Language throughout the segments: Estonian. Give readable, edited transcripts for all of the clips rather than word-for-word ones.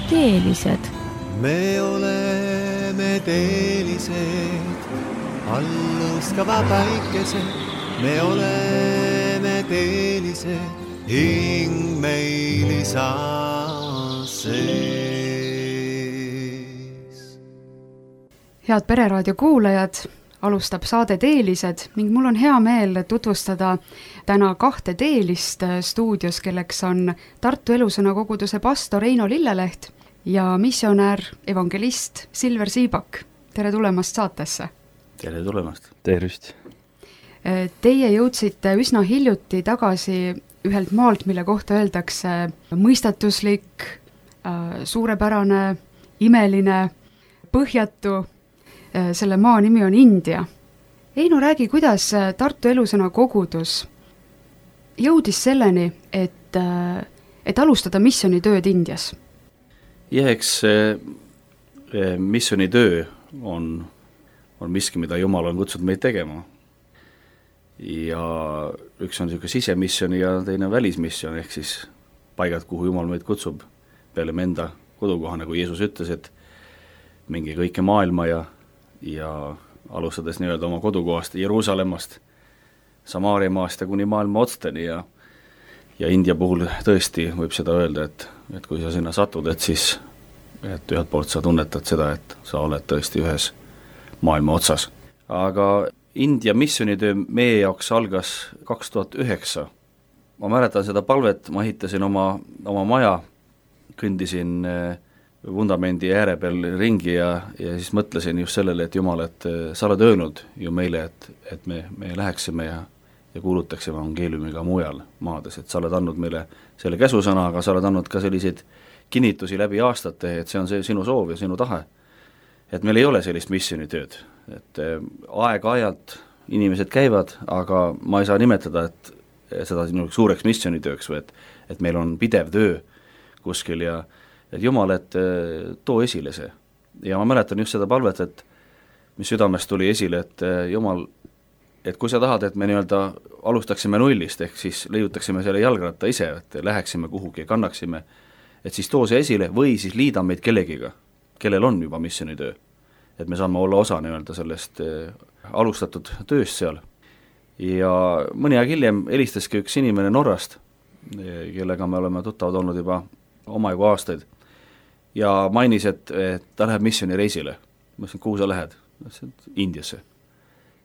teelised. Me oleme teelised, allustava päikesed. Me oleme teelised, hing meil isa sees. Head Pereraadio kuulajad, alustab saade Teelised ning mul on hea meel tutvustada täna 2 teelist stuudios, kelleks on Tartu Elusõna koguduse pastor Eino Lilleleht ja missionär evangelist Silver Siibak. Tere tulemast saatesse! Tere tulemast! Tervist! Teie jõudsite üsna hiljuti tagasi ühelt maalt, mille kohta öeldakse mõistatuslik, suurepärane, imeline, põhjatu. Selle maa nimi on India. Eino, räägi, kuidas Tartu Elusõna kogudus jõudis selleni, et alustada missionitööd Indias? Eks missionitöö on miski, mida Jumal on kutsunud meid tegema. Ja üks on niisugune sisemissiooni ja teine välismissioon, ehk siis paigad, kuhu Jumal meid kutsub peale me enda kodukoha, nagu Jeesus ütles, et mingi kõike maailma ja alustades nii-öelda oma kodukohast Jeruusalemmast, Samaariamaast ja kuni maailma otsteni ja India puhul tõesti võib seda öelda, et kui sa sinna satud, et siis et ühelt poolt sa tunnetad seda, et sa oled tõesti ühes maailma otsas. Aga India missionitöö meie jaoks algas 2009. Ma mäletan seda palvet, ma ehitasin oma maja, kõndisin vundamendi ääre peal ringi ja siis mõtlesin just sellele, et Jumal, et sa oled öelnud ju meile, et me läheksime ja kuulutaksime evangeeliumiga mujal maades, et sa oled andnud meile selle käsusõna, aga sa oled andnud ka selliseid kinnitusi läbi aastate, et see on see sinu soov ja sinu tahe. Et meil ei ole sellist missionitööd, et aeg-ajalt inimesed käivad, aga ma ei saa nimetada, et seda suureks missionitööks või et meil on pidev töö kuskil ja et Jumal, et too esile see. Ja ma mäletan just seda palvet, et mis südamest tuli esile, et Jumal, et kui sa tahad, et me nii-öelda alustaksime nullist, ehk siis leiutaksime selle jalgratta ise, et läheksime kuhugi, kannaksime, et siis too see esile või siis liida meid kellegiga, kellel on juba missionitöö. Et me saame olla osa nii-öelda sellest alustatud tööst seal. Ja mõni aeg hiljem helistaski üks inimene Norrast, kellega me oleme tuttavad olnud juba omajagu aastaid, ja mainis, et ta läheb missionireisile. Ma ütlesin, kuhu sa lähed? Indiasse.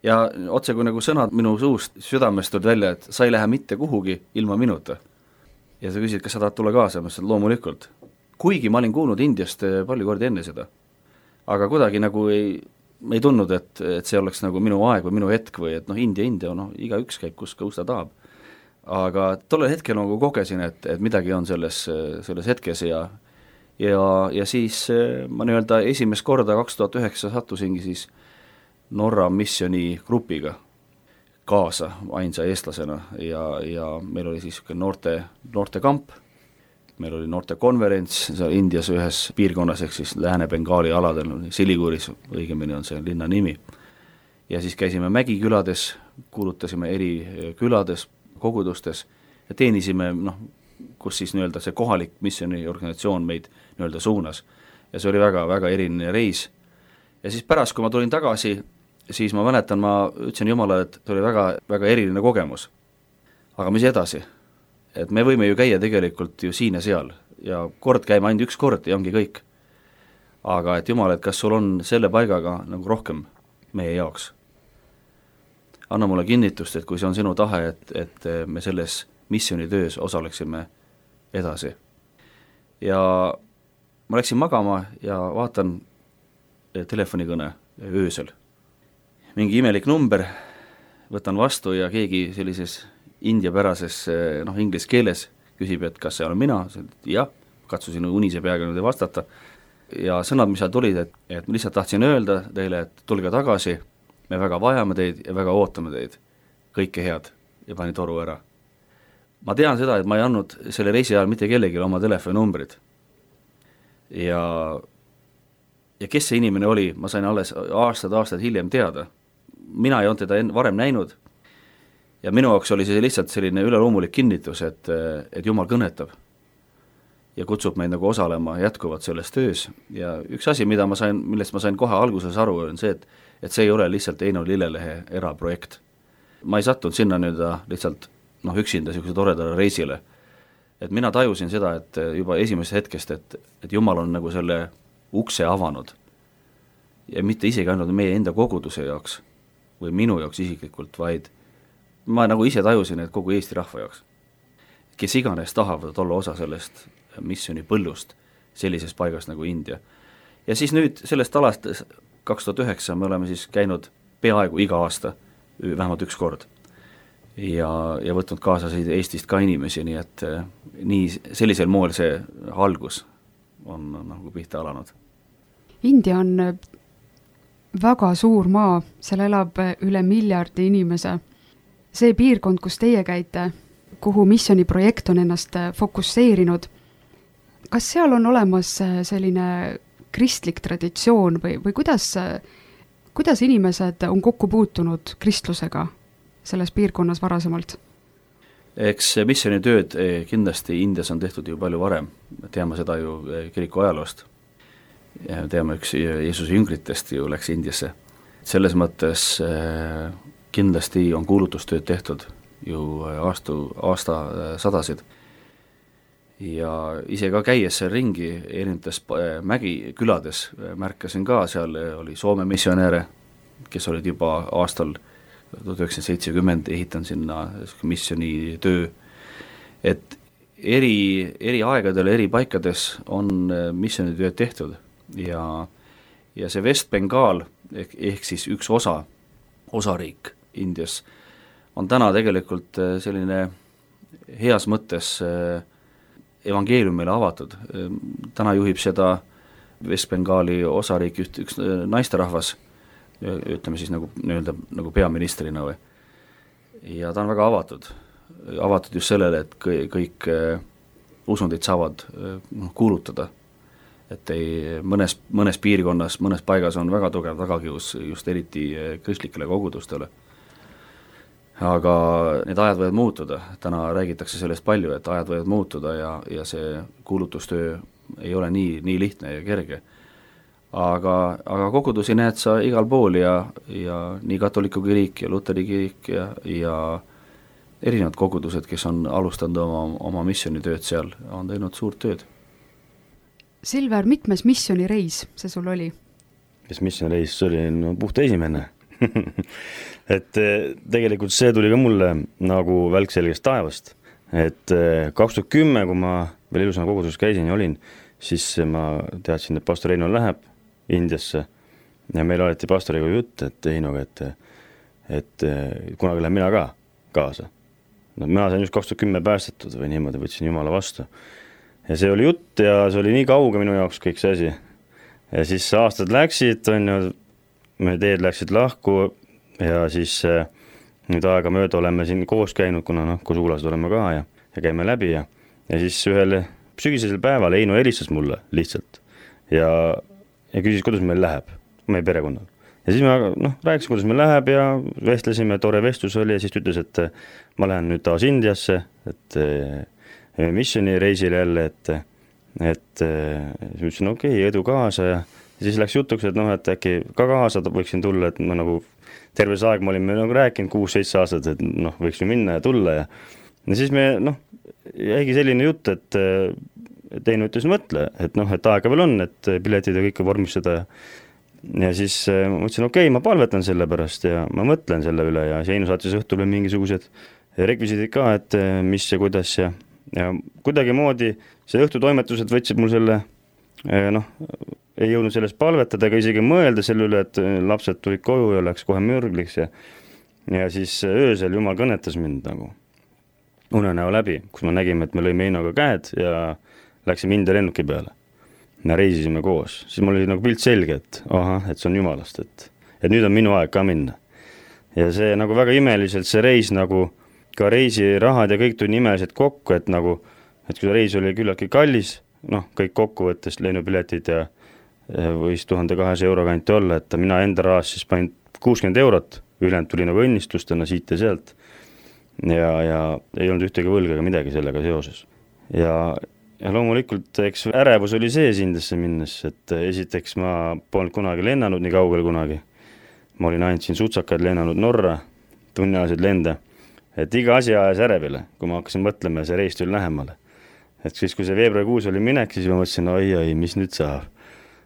Ja otse kui nagu sõnad minu suust südamest tulid välja, et sa ei lähe mitte kuhugi ilma minuta. Ja sa küsid, kas sa tahad tulla kaasa? Ma ütlesin, loomulikult. Kuigi ma olin kuulnud Indiast palju kordi enne seda. Aga kuidagi nagu ei tundnud, et see oleks nagu minu aeg või minu hetk või et India, iga üks käib, kus ta tahab. Aga tollel hetkel nagu kogesin, et midagi on selles hetkes ja siis ma nii-öelda esimest korda 2009 sattusingi siis Norra missioni grupiga kaasa ainsa eestlasena ja meil oli siis noorte kamp, meil oli noorte konverents seal Indias ühes piirkonnas, ehk siis Lääne-Bengaali aladel, Siliguris, õigemini on see linna nimi. Ja siis käisime mägikülades, kuulutasime eri külades, kogudustes ja teenisime, kus siis nii-öelda see kohalik missioniorganisatsioon meid nii-öelda suunas. Ja see oli väga-väga eriline reis. Ja siis pärast, kui ma tulin tagasi, siis ma mäletan, ma ütlesin Jumalale, et see oli väga eriline kogemus. Aga mis edasi? Et me võime ju käia tegelikult ju siin ja seal ja kord käime ainult üks kord ja ongi kõik. Aga et Jumal, et kas sul on selle paigaga nagu rohkem meie jaoks? Anna mulle kinnitust, et kui see on sinu tahe, et me selles missionitöös osaleksime edasi. Ja ma läksin magama ja vaatan telefonikõne öösel. Mingi imelik number, võtan vastu ja keegi sellises indiapärases inglise keeles küsib, et kas see olen mina, jah, katsusin unise peaga nüüd vastata. Ja sõnad, mis seal tulid, et ma lihtsalt tahtsin öelda teile, et tulge tagasi, me väga vajame teid ja väga ootame teid. Kõike head ja pani toru ära. Ma tean seda, et ma ei andnud selle reisi ajal mitte kellelegi oma telefoninumbrid. Ja kes see inimene oli, ma sain alles aastad hiljem teada. Mina ei olnud teda varem näinud ja minu jaoks oli see lihtsalt selline üleloomulik kinnitus, et Jumal kõnetab. ja kutsub meid nagu osalema jätkuvalt selles töös ja üks asi, millest ma sain kohe alguses aru, on see, et see ei ole lihtsalt Eino Lillelehe eraprojekt. Ma ei sattunud sinna lihtsalt üksinda niisuguse toredale reisile. Et mina tajusin seda, et juba esimesest hetkest, et Jumal on nagu selle ukse avanud ja mitte isegi ainult meie enda koguduse jaoks või minu jaoks isiklikult, vaid ma nagu ise tajusin, et kogu Eesti rahva jaoks, kes iganes tahavad olla osa sellest missiooni põllust sellises paigast nagu India. Ja siis nüüd sellest alast 2009 me oleme siis käinud peaaegu iga aasta, vähemalt üks kord ja võtnud kaasa Eestist ka inimesi, nii et nii sellisel moel see algus on nagu pihta alanud. India on väga suur maa, seal elab üle 1 miljardi inimese. See piirkond, kus teie käite, kuhu missiooniprojekt on ennast fokusseerinud, kas seal on olemas selline kristlik traditsioon või kuidas inimesed on kokku puutunud kristlusega selles piirkonnas varasemalt? Eks missioonitööd kindlasti Indias on tehtud ju palju varem, teame seda ju kiriku ajaloost. Teame, üks Jeesuse jüngritest ju läks Indiasse. Selles mõttes kindlasti on kuulutustööd tehtud ju aastasadasid. Ja ise ka käies seal ringi erinevates mägikülades märkasin ka, seal oli Soome missionääre, kes olid juba aastal 1970 ehitanud sinna missiooni töö, et eri aegadel, eri paikades on missioonitööd tehtud ja see West-Bengaal ehk siis üks osariik Indias on täna tegelikult selline heas mõttes evangeeliumile avatud. Täna juhib seda West-Bengaali osariik üks naisterahvas, ütleme siis nagu peaministrina või. Ja ta on väga avatud just sellele, et kõik usundid saavad kuulutada, et mõnes piirkonnas, mõnes paigas on väga tugev tagakius just eriti kristlikele kogudustele. Aga need ajad võivad muutuda, täna räägitakse sellest palju, et ajad võivad muutuda ja see kuulutustöö ei ole nii lihtne ja kerge. Aga kogudusi näed sa igal pool ja nii katoliku kirik ja luteri kirik ja erinevad kogudused, kes on alustanud oma missioonitööd seal, on teinud suurt tööd. Silver, mitmes missioonireis see sul oli? Mis missioonireis, see oli puhta esimene. Et tegelikult see tuli ka mulle nagu välk selgest taevast. Et 2010, kui ma veel Elusõna koguduses käisin ja olin, siis ma teadsin, et pastor Eino läheb Indiasse ja meil oleti pastoriga jutt, et Einoga, et kunagi lähen mina ka kaasa. No, mina sain just 2010 päästetud või niimoodi, võtsin Jumala vastu. Ja see oli jutt ja see oli nii kauge minu jaoks kõik see asi. Ja siis aastad läksid, me teed läksid lahku ja siis nüüd aega mööda oleme siin koos käinud, kuna koos suulased oleme ka ja käime läbi ja siis ühel sügisesel päeval Eino helistas mulle lihtsalt ja küsis, kuidas meil läheb, meie perekonnal. Ja siis ma rääkisin, kuidas meil läheb ja vestlesime, tore vestlus oli ja siis ütles, et ma lähen nüüd taas Indiasse, et missioonireisile jälle, et ütlesin, okei, edu kaasa ja siis läks jutuks, et äkki ka kaasa võiksin tulla, et ma nagu terve see aeg ma olin rääkinud 6-7 aastat, et võiks ju minna ja tulla ja siis me jäigi selline jutt, et Eino ütles mõtle, et aega veel on, et piletid ja kõike vormistada ja siis ma ütlesin, okei, ma palvetan selle pärast ja ma mõtlen selle üle ja Eino saatis õhtul mingisugused rekvisiidid ka, et mis ja kuidas ja kuidagi moodi see õhtutoimetused võtsid mul selle, ei jõudnud sellest palvetada ega isegi mõelda selle üle, et lapsed tulid koju ja läks kohe mürgliks ja siis öösel Jumal kõnetas mind nagu unenäo läbi, kus me nägime, et me lõime Einoga käed ja läksime India lennuki peale ja reisisime koos. Siis mul oli nagu pilt selge, et et see on Jumalast, et nüüd on minu aeg ka minna. Ja see nagu väga imeliselt see reis nagu ka reisirahad ja kõik tuli nimeliselt kokku, et kui see reis oli küllaltki kallis, kõik kokkuvõttes lennupiletid ja võis 1200 euro kanti olla, et mina enda rahas siis panin 60 eurot, ülejäänud tuli nagu õnnistustena siit ja sealt ja ei olnud ühtegi võlga ega midagi sellega seoses. Ja ja loomulikult, eks ärevus oli sees Indiasse minnes, et esiteks ma polnud kunagi lennanud nii kaugele kunagi. Ma olin ainult siin sutsakaid lennanud Norra, tunniajasid lende, et iga asi ajas ärevile, kui ma hakkasin mõtlema ja see reis tuli lähemale. Et siis, kui see veebruarikuus oli minek, siis ma mõtlesin, oi, mis nüüd saab.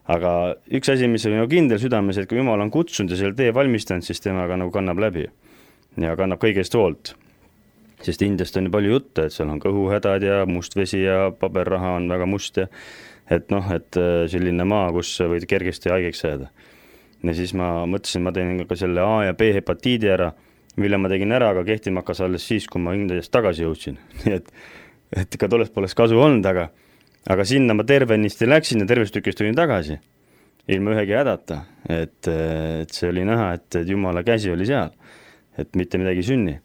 Aga üks asi, mis oli nagu kindel südames, et kui Jumal on kutsunud ja selle tee valmistanud, siis temaga nagu kannab läbi ja kannab kõigest hoolt. Sest Indiast on ju palju juttu, et seal on kõhuhädad ja must vesi ja paberraha on väga must ja et selline maa, kus võid kergesti haigeks jääda. Ja siis ma mõtlesin, ma teen ka selle A ja B hepatiidi ära, mille ma tegin ära, aga kehtima hakkas alles siis, kui ma Indiast tagasi jõudsin. Nii et ka tollest poleks kasu olnud, aga sinna ma tervenisti läksin ja tervest tükist tulin tagasi. Ilma ühegi hädata, et see oli näha, et Jumala käsi oli seal, et mitte midagi sünni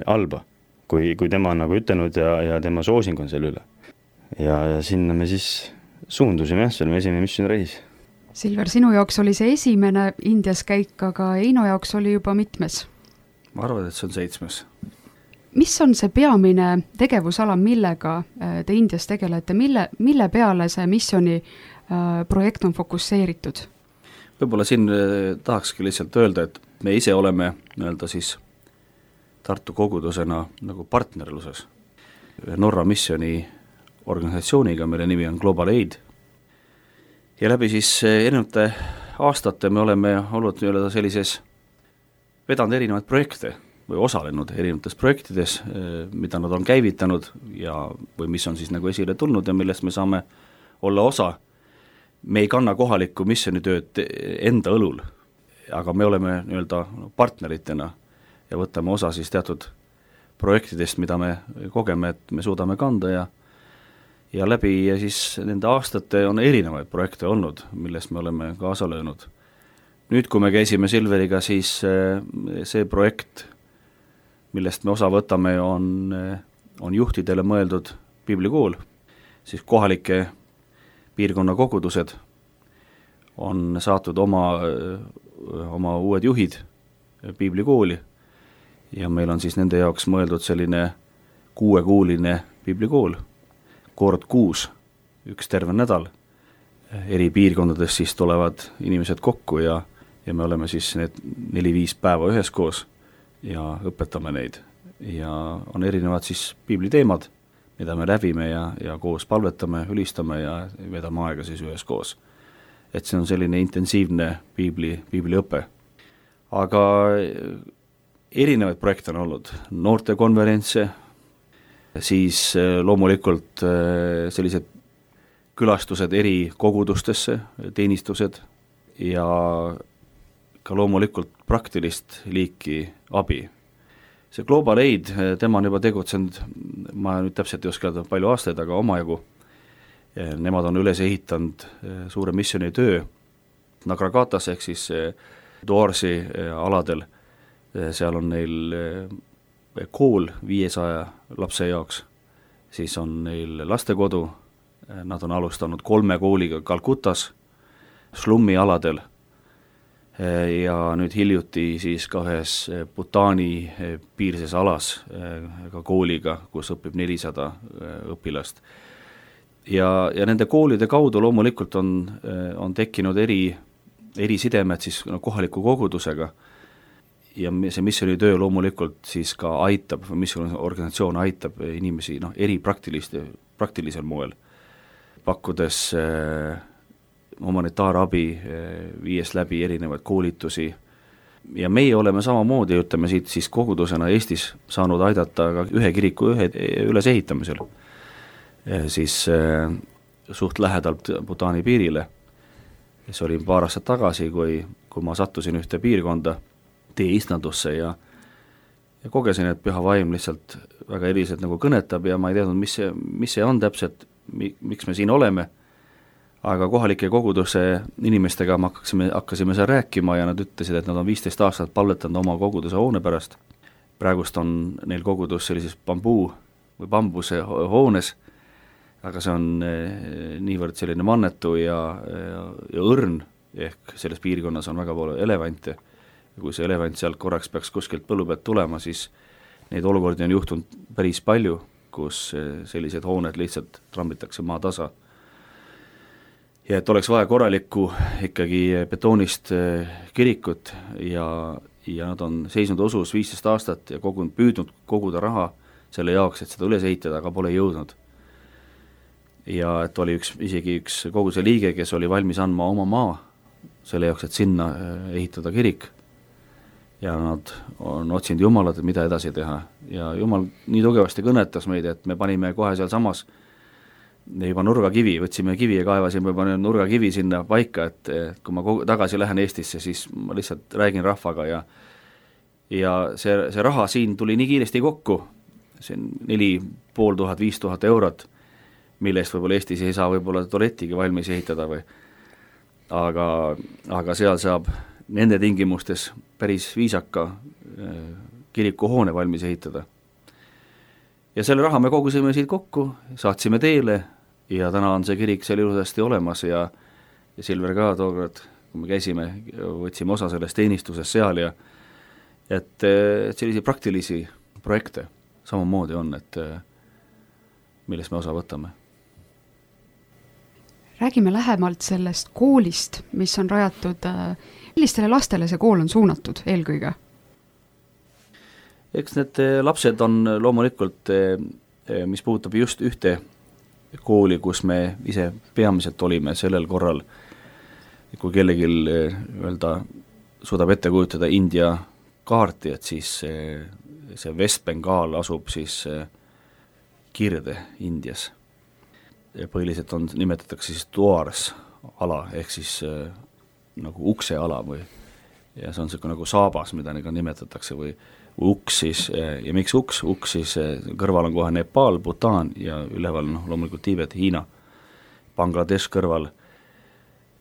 halba. Kui tema on nagu ütelnud ja tema soosing on selle üle. Ja sinna me siis suundusime, see oli esimene missioonireis. Silver, sinu jaoks oli see esimene Indias käik, aga Eino jaoks oli juba mitmes? Ma arvan, et see on 7. Mis on see peamine tegevusala, millega te Indias tegelete? Mille peale see missiooni projekt on fokusseeritud? Võib-olla siin tahakski lihtsalt öelda, et me ise oleme nii-öelda siis Tartu kogudusena nagu partnerluses Norra missiooni organisatsiooniga, mille nimi on Global Aid. Ja läbi siis erinevate aastate me oleme olnud nii-öelda sellises vedanud erinevaid projekte või osalenud erinevates projektides, mida nad on käivitanud või mis on siis nagu esile tulnud ja millest me saame olla osa. Me ei kanna kohalikku missioonitööd enda õlul, aga me oleme nii-öelda partneritena ja võtame osa siis teatud projektidest, mida me kogeme, et me suudame kanda ja läbi ja siis nende aastate on erinevaid projekte olnud, millest me oleme kaasa löönud. Nüüd, kui me käisime Silveriga, siis see projekt, millest me osa võtame, on juhtidele mõeldud piiblikool, siis kohalike piirkonna kogudused on saatnud oma uued juhid piiblikooli ja meil on siis nende jaoks mõeldud selline 6-kuuline piiblikool, kord kuus, üks terve nädal. Eri piirkondades siis tulevad inimesed kokku ja me oleme siis need 4-5 päeva üheskoos ja õpetame neid. Ja on erinevad siis piibliteemad, mida me läbime ja koos palvetame, ülistame ja vedame aega siis üheskoos. Et see on selline intensiivne piibliõpe. Aga erinevaid projekte on olnud, noortekonverentse, siis loomulikult sellised külastused eri kogudustesse, teenistused ja ka loomulikult praktilist liiki abi. See Global Aid, tema on juba tegutsenud, ma nüüd täpselt ei oska palju aastaid, aga omajagu. Nemad on üles ehitanud suure missiooni töö Nagragatas ehk siis Duarsi aladel. Seal on neil kool 500 lapse jaoks, siis on neil lastekodu, nad on alustanud 3 kooliga Kalkutas, slummi aladel ja nüüd hiljuti siis ka ühes Bhutani piirses alas ka kooliga, kus õpib 400 õpilast. Ja nende koolide kaudu loomulikult on tekkinud eri sidemed siis kohaliku kogudusega ja see missioonitöö loomulikult siis ka aitab, missiooni organisatsioon aitab inimesi eri praktilisel moel, pakkudes humanitaarabi, viies läbi erinevaid koolitusi ja meie oleme samamoodi, ütleme siit siis kogudusena Eestis saanud aidata ka ühe kiriku ülesehitamisel, siis suht lähedalt Bhutani piirile. See oli paar aastat tagasi, kui ma sattusin ühte piirkonda tee istandusse ja kogesin, et püha vaim lihtsalt väga eriliselt nagu kõnetab ja ma ei teadnud, mis see on täpselt, miks me siin oleme, aga kohalike koguduse inimestega me hakkasime seal rääkima ja nad ütlesid, et nad on 15 aastat palvetanud oma koguduse hoone pärast. Praegust on neil kogudus sellises bambuse hoones, aga see on niivõrd selline mannetu ja õrn, ehk selles piirkonnas on väga palju elevante. Ja kui see elevant sealt korraks peaks kuskilt põllu pealt tulema, siis neid olukordi on juhtunud päris palju kus sellised hooned lihtsalt trambitakse maatasa. Ja et oleks vaja korralikku ikkagi betoonist kirikut ja nad on seisnud osus 15 aastat ja püüdnud koguda raha selle jaoks, et seda üles ehitada, aga pole jõudnud. Ja et oli isegi üks koguse liige, kes oli valmis andma oma maa selle jaoks, et sinna ehitada kirik. Ja nad on otsinud Jumalat, et mida edasi teha. Ja Jumal nii tugevasti kõnetas meid, et me panime kohe seal samas juba nurgakivi, võtsime kivi ja kaevasime juba nurgakivi sinna paika, et kui ma tagasi lähen Eestisse, siis ma lihtsalt räägin rahvaga ja see raha siin tuli nii kiiresti kokku, see on 4500–5000 eurot, millest võib-olla Eestis ei saa võib-olla tualettigi valmis ehitada või. Aga seal saab nende tingimustes päris viisaka kirikuhoone valmis ehitada. Ja selle raha me kogusime siit kokku, saatsime teele ja täna on see kirik seal ilusasti olemas ja Silver ka tookord, kui me käisime, võtsime osa sellest teenistuses seal ja et sellisi praktilisi projekte samamoodi on, et millest me osa võtame. Räägime lähemalt sellest koolist, mis on rajatud, millistele lastele see kool on suunatud eelkõige? Eks need lapsed on loomulikult, mis puudutab just ühte kooli, kus me ise peamiselt olime sellel korral, kui kellegi suudab ette kujutada India kaarti, et siis see West-Bengaal asub siis Kirde Indias. Põhiliselt nimetatakse siis Duars ala, ehk siis nagu ukse ala või, ja see on selline nagu saabas, mida nimetatakse või uks siis, ja miks uks siis kõrval on kohe Nepal, Bhutan ja üleval loomulikult Tiibet, Hiina, Bangladesh kõrval.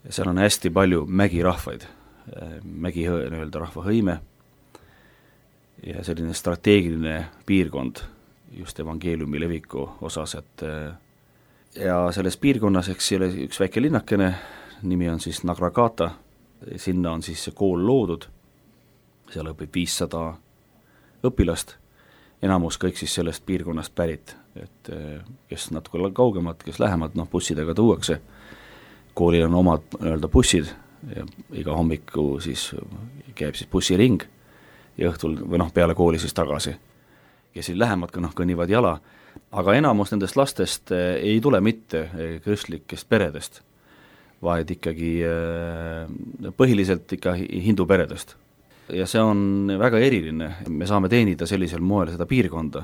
Seal on hästi palju mägirahvaid, rahva hõime ja selline strateegiline piirkond just evangeeliumi leviku osas, et ja selles piirkonnas, eks selle üks väike linnakene, nimi on siis Nagragata, sinna on siis see kool loodud, seal õpib 500 õpilast, enamus kõik siis sellest piirkonnast pärit, et kes natuke kaugemad, kes lähemad, bussidega tuuakse, koolil on omad bussid ja iga hommiku siis käib siis bussiring ja õhtul või peale kooli siis tagasi, kes siis lähemad kõnnivad jala, aga enamus nendest lastest ei tule mitte kristlikest peredest, vaid ikkagi põhiliselt ikka hindu peredest. Ja see on väga eriline, me saame teenida sellisel moel seda piirkonda.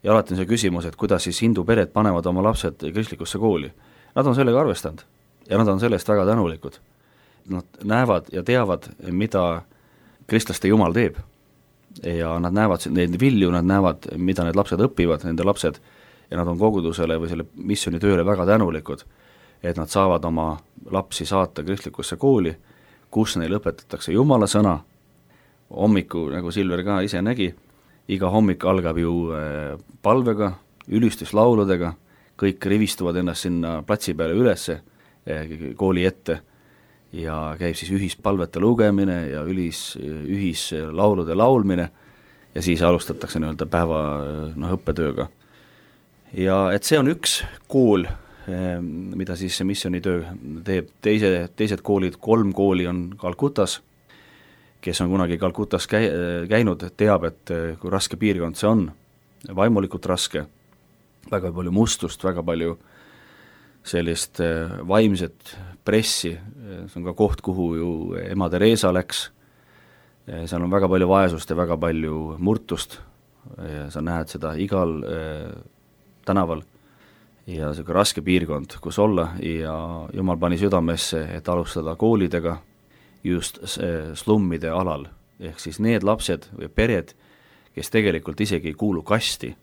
Ja alati on see küsimus, et kuidas siis hindu pered panevad oma lapsed kristlikusse kooli. Nad on sellega arvestanud ja nad on sellest väga tänulikud. Nad näevad ja teavad, mida kristlaste Jumal teeb. Ja nad näevad neid vilju, nad näevad, mida need lapsed õpivad, nende lapsed, ja nad on kogudusele või selle missiooni tööle väga tänulikud, et nad saavad oma lapsi saata kristlikusse kooli, kus neil õpetatakse Jumala sõna. Hommiku, nagu Silver ka ise nägi, iga hommik algab ju palvega, ülistuslauludega, kõik rivistuvad ennast sinna platsi peale ülesse kooli ette ja käib siis ühispalvete lugemine ja ühislaulude laulmine ja siis alustatakse päeva õppetööga. Ja et see on üks kool, mida siis see missioonitöö teeb. Teised koolid, 3 kooli on Kalkutas, kes on kunagi Kalkutas käinud, teab, et kui raske piirkond see on, vaimulikult raske, väga palju mustust, väga palju sellist vaimset pressi, see on ka koht, kuhu ju ema Teresa läks, seal on väga palju vaesust ja väga palju murtust, ja sa näed seda igal tänaval, ja see raske piirkond, kus olla, ja Jumal pani südamesse, et alustada koolidega, just slummide alal, ehk siis need lapsed või pered, kes tegelikult isegi ei kuulu kasti,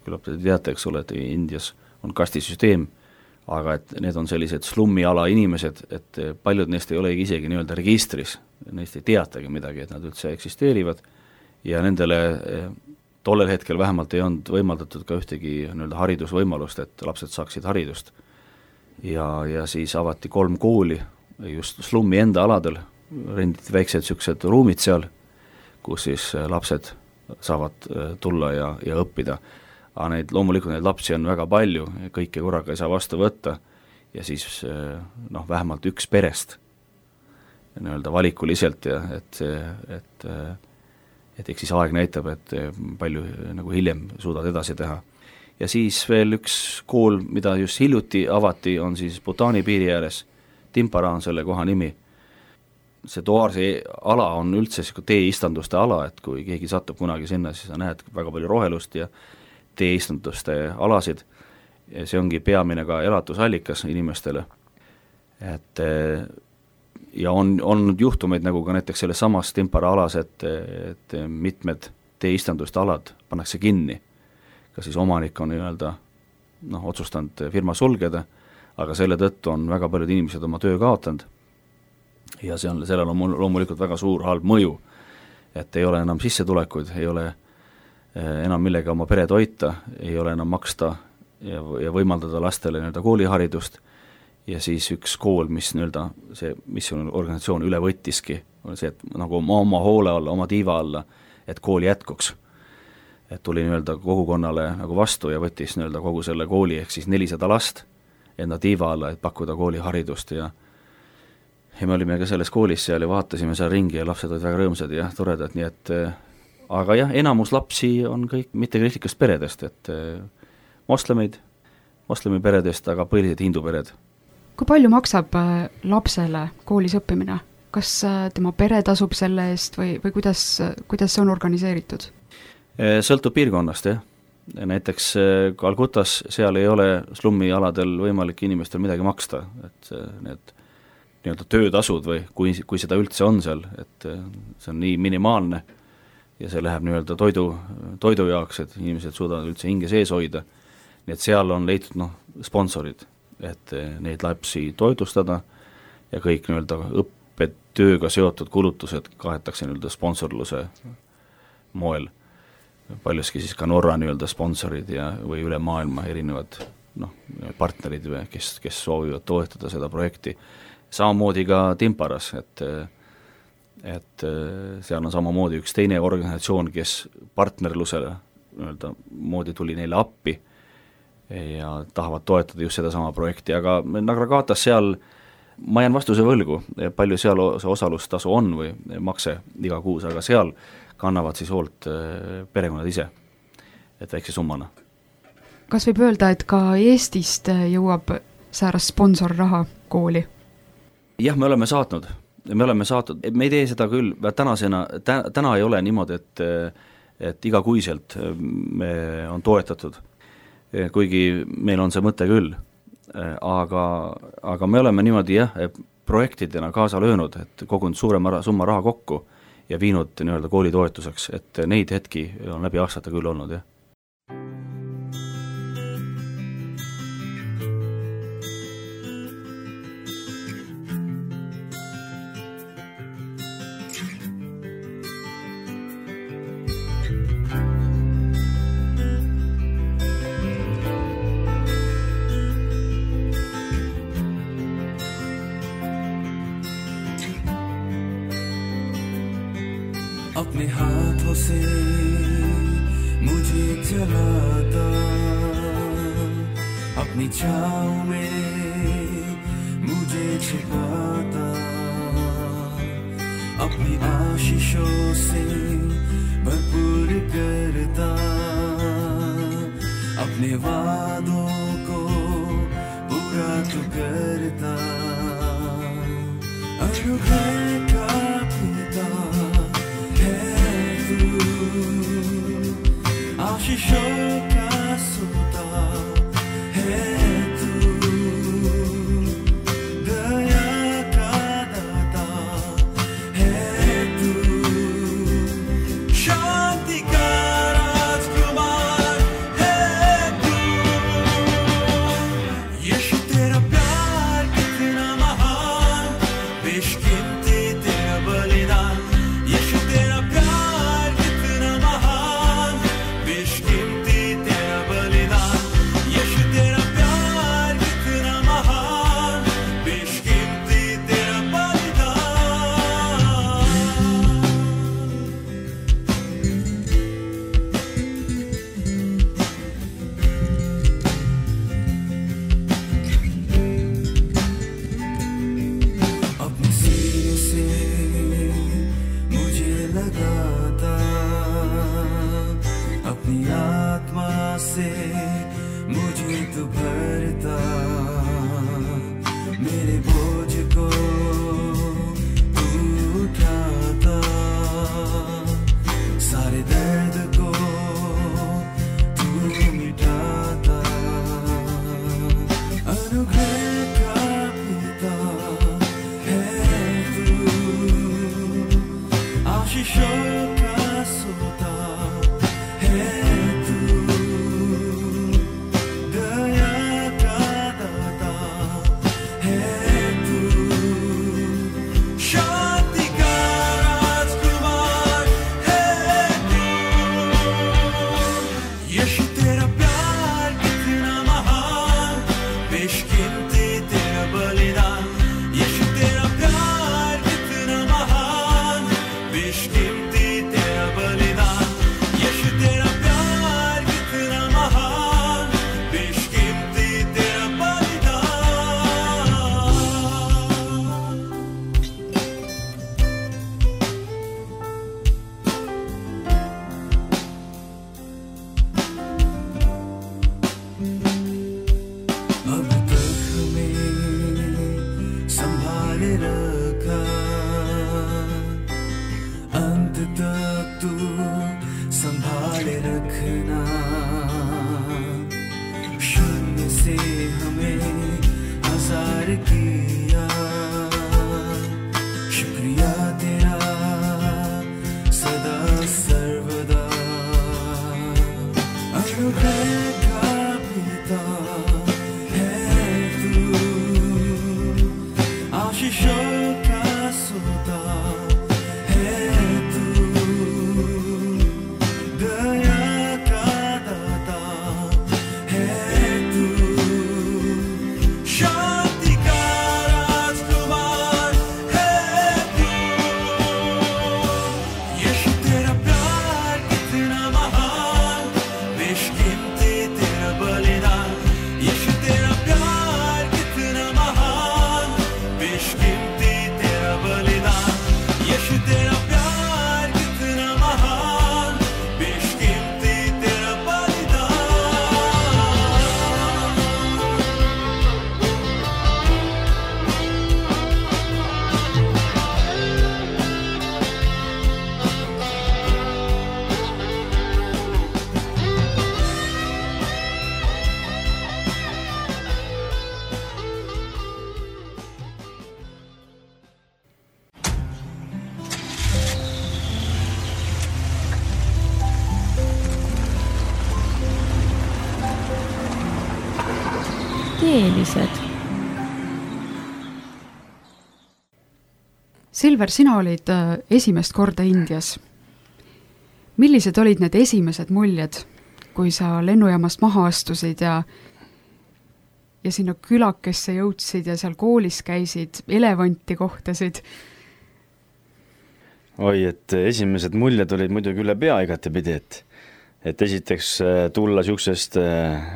küllap te teate, eks ole, et Indias on kastisüsteem, aga et need on sellised slummiala inimesed, et paljud neist ei olegi isegi registris, neist ei teatagi midagi, et nad üldse eksisteerivad ja nendele tollel hetkel vähemalt ei olnud võimaldatud ka ühtegi haridusvõimalust, et lapsed saaksid haridust. Ja siis avati 3 kooli, just slummi enda aladel, renditi väiksed siuksed ruumid seal, kus siis lapsed saavad tulla ja õppida. aga loomulikult neid lapsi on väga palju, kõike korraga ei saa vastu võtta ja siis vähemalt üks perest nii-öelda valikuliselt ja et eks siis aeg näitab, et palju nagu hiljem suudad edasi teha. Ja siis veel üks kool, mida just hiljuti avati, on siis Bhutani piiri ääres, Timpara on selle koha nimi. See Toarsi ala on üldse teeistanduste ala, et kui keegi satub kunagi sinna, siis sa näed väga palju rohelust ja teeistanduste alasid. Ja see ongi peamine ka elatusallikas inimestele. Et ja on olnud juhtumeid nagu ka näiteks selles samas Timpara alas, et mitmed teeistanduste alad pannakse kinni. Ka siis omanik on otsustanud firma sulgeda, aga selle tõttu on väga paljud inimesed oma töö kaotanud. Ja sellel on loomulikult väga suur halb mõju, et ei ole enam sissetulekuid, ei ole enam millega oma pere toita, ei ole enam maksta ja võimaldada lastele kooliharidust. Ja siis üks kool, mis see organisatsioon üle võttiski, on see, et nagu oma hoole alla, oma tiiva alla, et kool jätkuks. Et tuli kogukonnale nagu vastu ja võttis kogu selle kooli ehk siis 400 last enda tiiva alla, et pakkuda kooliharidust ja me olime ka selles koolis seal ja vaatasime seal ringi ja lapsed olid väga rõõmsad ja toredad, nii et aga jah, enamus lapsi on kõik mittekristlikust peredest, et moslemi peredest, aga põhiliselt hindu pered. Kui palju maksab lapsele koolis õppimine? Kas tema pere tasub selle eest või kuidas see on organiseeritud? Sõltub piirkonnast, jah. Näiteks Calcutas seal ei ole slummi aladel võimalik inimestel midagi maksta, et need nii-öelda töötasud või kui seda üldse on seal, et see on nii minimaalne ja see läheb nii-öelda toidu jaoks, et inimesed suudavad üldse hinge sees hoida. Nii et seal on leitud sponsorid, et neid lapsi toidustada ja kõik nii-öelda õppetööga seotud kulutused kaetakse nii-öelda sponsorluse moel. Paljuski siis ka Norra nii-öelda sponsorid või üle maailma erinevad partnerid, kes soovivad toetada seda projekti. Samamoodi ka Timparas, et seal on samamoodi üks teine organisatsioon, kes partnerlusele moodi tuli neile appi ja tahavad toetada just seda sama projekti, aga Nagragatas seal ma jään vastuse võlgu, palju seal see osalustasu on või makse iga kuus, aga seal kannavad siis hoolt perekonnad ise, et väikse summana. Kas võib öelda, et ka Eestist jõuab säärast sponsorraha kooli? Jah, me oleme saatnud, me ei tee seda küll, täna ei ole niimoodi, et igakuiselt me on toetatud, kuigi meil on see mõte küll, aga me oleme niimoodi projektidena kaasa löönud, et kogunud suurema summa raha kokku ja viinud nii-öelda kooli toetuseks, et neid hetki on läbi aastate küll olnud, jah. अपने हाथों से मुझे जलाता, अपनी छाँव में मुझे छिपाता, अपनी आशीषों से भरपूर करता, अपने वादों को पूरा तो करता, अनुग्रह का पिता आशीषों का सोता है तू, दया का दाता है तू, शांति का राजकुमार है तू। यीशु तेरा प्यार कितना महान, बेशकीमती किया शुक्रिया तेरा सदा सर्वदा अनुभव का पिता है तू आशीषों का सोता है तू दया का दाता है तू शांति का राजकुमार है तू यीशु तेरा प्यार कितना महान बेशकीमती तेरा बलिदान यीशु तेरा प्यार कितना महान बेशकीमती तेरा बलिदान यीशु तेरा प्यार कितना महान बेशकीमती तेरा बलिदान Teelised. Silver, sina olid esimest korda Indias. Millised olid need esimesed muljed, kui sa lennujaamast maha astusid ja sinna külakesse jõudsid ja seal koolis käisid, elevanti kohtasid? Oi, et esimesed muljed olid muidugi üle pea igatepidi, et esiteks tulla siuksest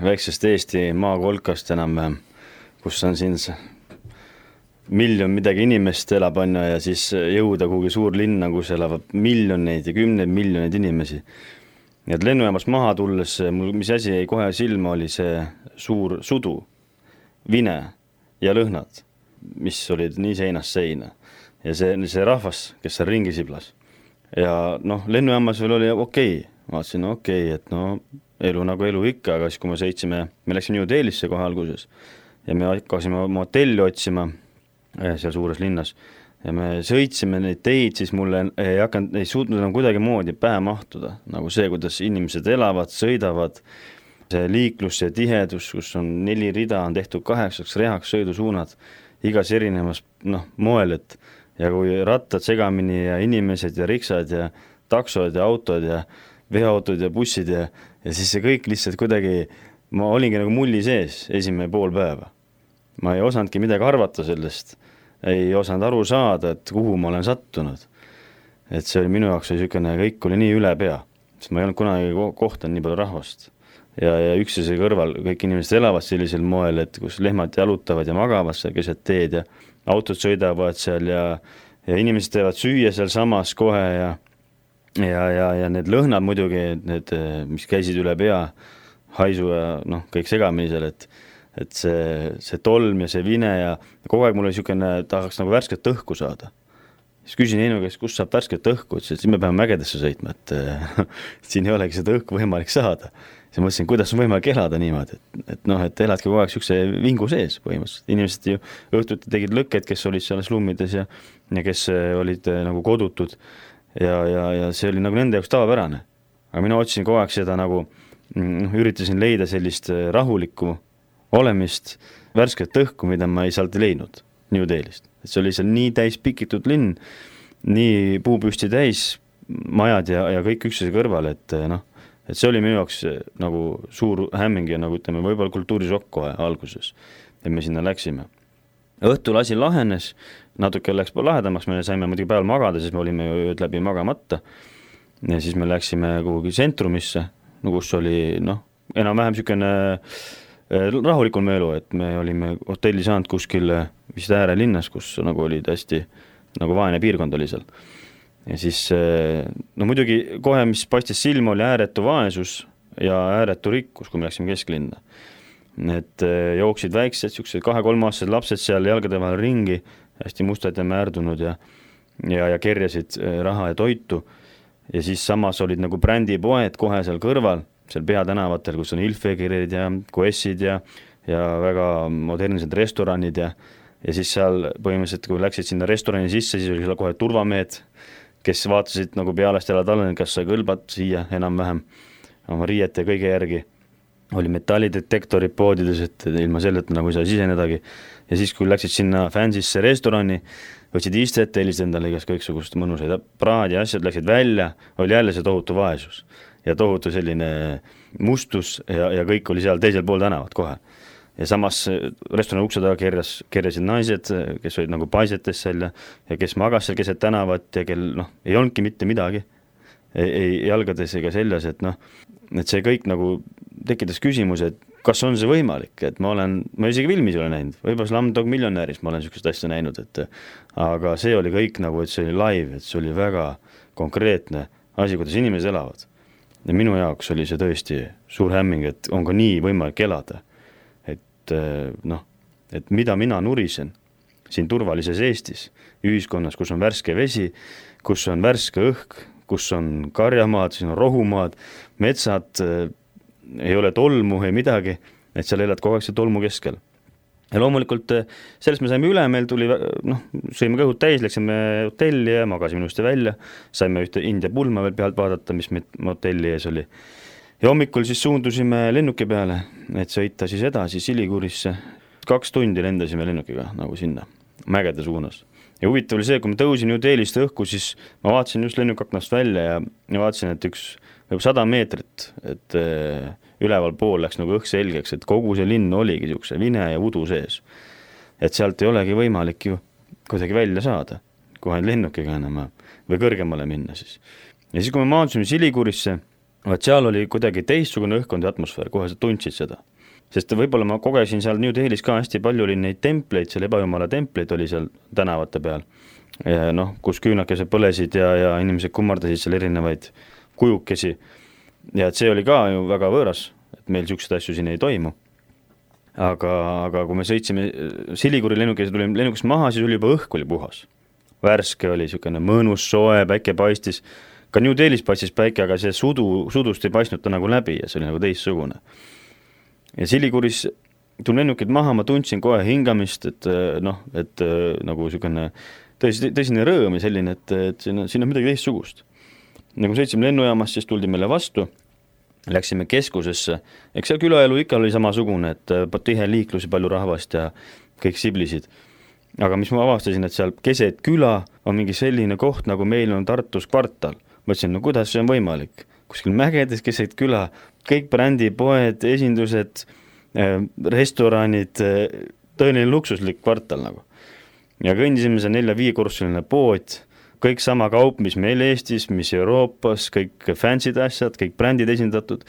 väiksest Eesti maakolkast enam, kus on siin miljon midagi inimest elab ja siis jõuda kuhugi suur linna, kus elavad miljoneid ja kümneid miljoneid inimesi. Ja lennujaamast maha tulles, mis asi jäi kohe silma, oli see suur sudu, vine ja lõhnad, mis olid nii seinast seina. Ja see rahvas, kes seal ringi siblas. Ja lennujaamas veel oli okei. Vaatasin, et elu nagu elu ikka, aga siis kui me läksime New Delhisse kohe alguses ja me hakkasime oma hotelli otsima seal suures linnas ja me sõitsime neid teid, siis mulle ei suutnud enam kuidagi moodi pähe mahtuda, nagu see, kuidas inimesed elavad, sõidavad, see liiklus ja tihedus, kus on 4 rida, on tehtud 8 rehaks sõidusuunad, igas erinevas moel, ja kui rattad segamini ja inimesed ja riksad ja taksod ja autod ja veoautod ja bussid ja siis see kõik lihtsalt kuidagi, ma olingi nagu mulli sees esimene pool päeva. Ma ei osanudki midagi arvata sellest, ei osanud aru saada, et kuhu ma olen sattunud. Et see oli minu jaoks niisugune, kõik oli nii üle pea, sest ma ei olnud kunagi kohtanud nii palju rahvast. Ja üksteise kõrval kõik inimesed elavad sellisel moel, et kus lehmad jalutavad ja magavad seal keset teed ja autod sõidavad seal ja inimesed teevad süüa seal samas kohe ja need lõhnad muidugi, need, mis käisid üle pea, haisu ja kõik segamini seal, et see tolm ja see vine ja kogu aeg mul oli niisugune, tahaks nagu värsket õhku saada. Siis küsin Heino käest, kus saab värsket õhku, et siis me peame mägedesse sõitma, et siin ei olegi seda õhku võimalik saada. Siis mõtlesin, kuidas on võimalik elada niimoodi, et eladki kogu aeg niisuguse vingu sees põhimõtteliselt. Inimesed ju õhtuti tegid lõkked, kes olid seal slummides ja kes olid nagu kodutud ja see oli nagu nende jaoks tavapärane. Aga mina otsisin kogu aeg seda nagu, üritasin leida sellist rahulikku olemist, värsket õhku, mida ma ei saalt leidnud New Delhist. Et see oli seal nii täis pikitud linn, nii puupüsti täis majad ja kõik üksteise kõrval, et see oli minu jaoks nagu suur hämming ja nagu ütleme, võib-olla kultuurisokk kohe alguses, et me sinna läksime. Õhtul asi lahenes, natuke läks lahedamaks, me saime muidugi päeval magada, siis me olime ööd läbi magamata ja siis me läksime kuhugi sentrumisse, kus oli enam-vähem niisugune rahulikul elu, et me olime hotelli saanud kuskil vist äärelinnas, kus nagu oli hästi nagu vaene piirkond oli seal. Ja siis muidugi kohe, mis paistis silma, oli ääretu vaesus ja ääretu rikkus, kui me läksime kesklinna. Et jooksid väiksed, 2-3-aastased lapsed seal jalgade vahel ringi, hästi mustad ja määrdunud ja kerjasid raha ja toitu. Ja siis samas olid nagu brändipoed kohe seal kõrval, seal peatänavatel, kus on Hilfigerid ja Koessid ja väga modernsed restoranid ja ja siis seal põhimõtteliselt, kui läksid sinna restorani sisse, siis oli seal kohe turvamehed, kes vaatasid nagu pealest jalad alla, kas sa kõlbad siia enam-vähem oma riiete ja kõige järgi. Oli metallidetektorid poodides, et ilma selleta nagu ei saa sisenedagi. Ja siis, kui läksid sinna fansisse restorani, võtsid istet, helisid endale igast kõiksugust mõnusaid praad ja asjad, läksid välja, oli jälle see tohutu vaesus ja tohutu selline mustus ja kõik oli seal teisel pool tänavat kohe. Ja samas restorani ukse taga kerjasid naised, kes olid nagu paisetes seal ja kes magas seal keset tänavat ja kel ei olnudki mitte midagi, ei jalgades ega seljas, et et see kõik nagu tekitas küsimus, et kas on see võimalik, et ma isegi filmis olen näinud, võib-olla Slumdog Millionaire'is ma olen niisugust asja näinud, aga see oli kõik nagu, et see oli live, et see oli väga konkreetne asi, kuidas inimesed elavad. Ja minu jaoks oli see tõesti suur hämming, et on ka nii võimalik elada. Et mida mina nurisen siin turvalises Eestis, ühiskonnas, kus on värske vesi, kus on värske õhk, kus on karjamaad, siin on rohumaad, metsad, ei ole tolmu, ei midagi, et seal elad kogu aeg see tolmu keskel. Ja loomulikult sellest me saime üle, meil tuli, sõime kõhud täis, läksime hotelli ja magasime ilusti välja, saime ühte India pulma veel pealt vaadata, mis meil hotelli ees oli. Ja hommikul siis suundusime lennuki peale, et sõita siis edasi Siligurisse. 2 tundi lendasime lennukiga nagu sinna, mägede suunas. Ja huvitav oli see, kui ma tõusin New Delhist õhku, siis ma vaatasin just lennukaknast välja ja vaatasin, et üks 100 meetrit, et üleval pool läks nagu õhk selgeks, et kogu see linn oligi niisuguse vine ja udu sees. Et sealt ei olegi võimalik ju kuidagi välja saada, kohe lennukiga enam või kõrgemale minna siis. Ja siis, kui me maandusime Siligurisse, seal oli kuidagi teistsugune õhkkond ja atmosfäär, kohe sa tundsid seda. Sest võib-olla ma kogesin seal New Delhis ka hästi palju oli neid templeid, seal ebajumala templeid oli seal tänavate peal, ja kus küünakesed põlesid ja inimesed kummardasid seal erinevaid kujukesi. Ja et see oli ka ju väga võõras, et meil niisugused asju siin ei toimu. Aga kui me sõitsime Siliguri lennukist maha, siis oli juba õhk oli puhas. Värske oli niisugune mõnus, soe, päike paistis. Ka New Delhis paistis päike, aga see sudust ei paistnud ta nagu läbi ja see oli nagu teistsugune. Ja Siliguris tulin lennukid maha, ma tundsin kohe hingamist, et nagu niisugune tõsine rõõm ja selline, et siin on midagi teistsugust. Nagu sõitsime lennujaamast, siis tuldi meile vastu, läksime keskusesse, eks seal külaelu ikka oli samasugune, et tihe liiklus ja palju rahvast ja kõik siblisid. Aga mis ma avastasin, et seal keset küla on mingi selline koht, nagu meil on Tartus kvartal. Mõtlesin, kuidas see on võimalik? Kuskil mägedes keset küla, kõik brändipoed, esindused, restoranid, tõeline luksuslik kvartal nagu. Ja kõndisime see 4-5 kursuline pood, kõik sama kaup, mis meil Eestis, mis Euroopas, kõik fansid asjad, kõik brändid esindatud.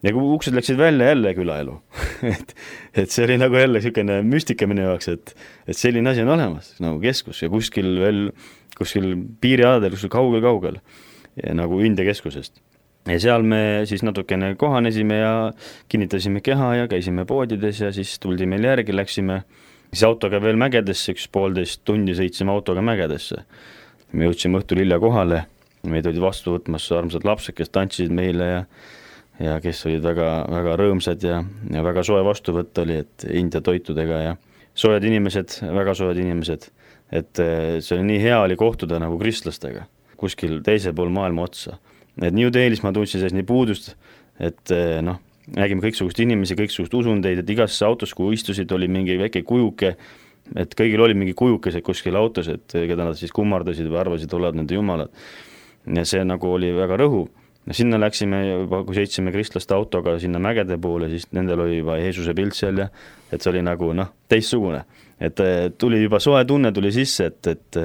Ja kui uksed läksid välja, jälle külaelu. et see oli nagu jälle niisugune müstika minu jaoks, et selline asi on olemas, nagu keskus ja kuskil piirialadel, kuskil kaugel, nagu India keskusest. Ja seal me siis natukene kohanesime ja kinnitasime keha ja käisime poodides ja siis tuldi meil järgi, läksime siis autoga veel mägedesse, 1,5 tundi sõitsime autoga mägedesse. Me jõudsime õhtul hilja kohale, meid olid vastu võtmas armsad lapsed, kes tantsisid meile ja kes olid väga, väga rõõmsad ja väga soe vastuvõtt oli, et India toitudega ja soojad inimesed, väga soojad inimesed, et see oli nii hea oli kohtuda nagu kristlastega kuskil teise pool maailma otsa. Et New Delhis ma tundsin selles nii puudust, et nägime kõiksugust inimesi, kõiksugust usundeid, et igasse autos, kui istusid, oli mingi väike kujuke, et kõigil oli mingi kujukesed kuskil autos, et keda nad siis kummardasid või arvasid, olevad nende jumalad. Ja see nagu oli väga rõhu. Ja sinna läksime juba, kui sõitsime kristlaste autoga sinna mägede poole, siis nendel oli juba Jeesuse pilt seal ja et see oli nagu teistsugune. Et tuli juba soe tunne tuli sisse, et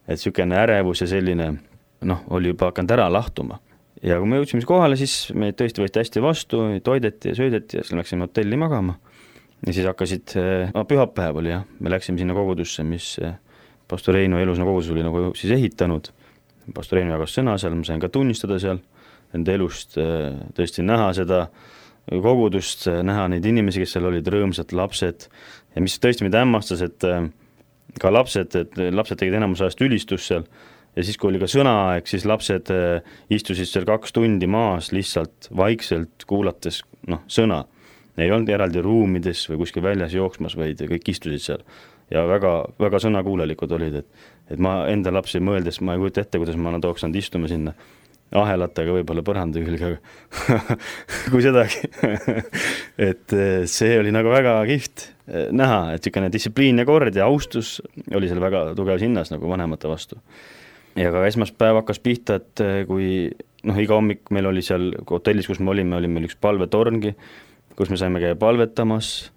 niisugune ärevus ja selline oli juba hakanud ära lahtuma. Ja kui me jõudsime kohale, siis me tõesti võeti hästi vastu, toideti ja söödeti ja siis läksime hotelli magama. Ja siis hakkasid, pühapäev oli me läksime sinna kogudusse, mis pastor Reino elusõna kogudus oli nagu siis ehitanud. Pastor Reino jagas sõna seal, ma sain ka tunnistada seal enda elust, tõesti näha seda kogudust, näha neid inimesi, kes seal olid rõõmsad lapsed ja mis tõesti mida hämmastas, et ka lapsed tegid enamus ajast ülistus seal ja siis, kui oli ka sõnaaeg, siis lapsed istusid seal 2 tundi maas lihtsalt vaikselt kuulates sõna. ei olnud eraldi ruumides või kuskil väljas jooksmas, vaid kõik istusid seal ja väga, väga sõnakuulelikud olid, et ma enda lapsi mõeldes, ma ei kujuta ette, kuidas ma tooks nad istuma sinna ahelatega võib-olla põranda külge, kui sedagi. et see oli nagu väga kihvt näha, et niisugune distsipliin ja kord ja austus oli seal väga tugevas hinnas nagu vanemate vastu. Ja ka esmaspäev hakkas pihta, et kui iga hommik meil oli seal hotellis, kus me olime meil üks palvetorngi, kus me saime käia palvetamas,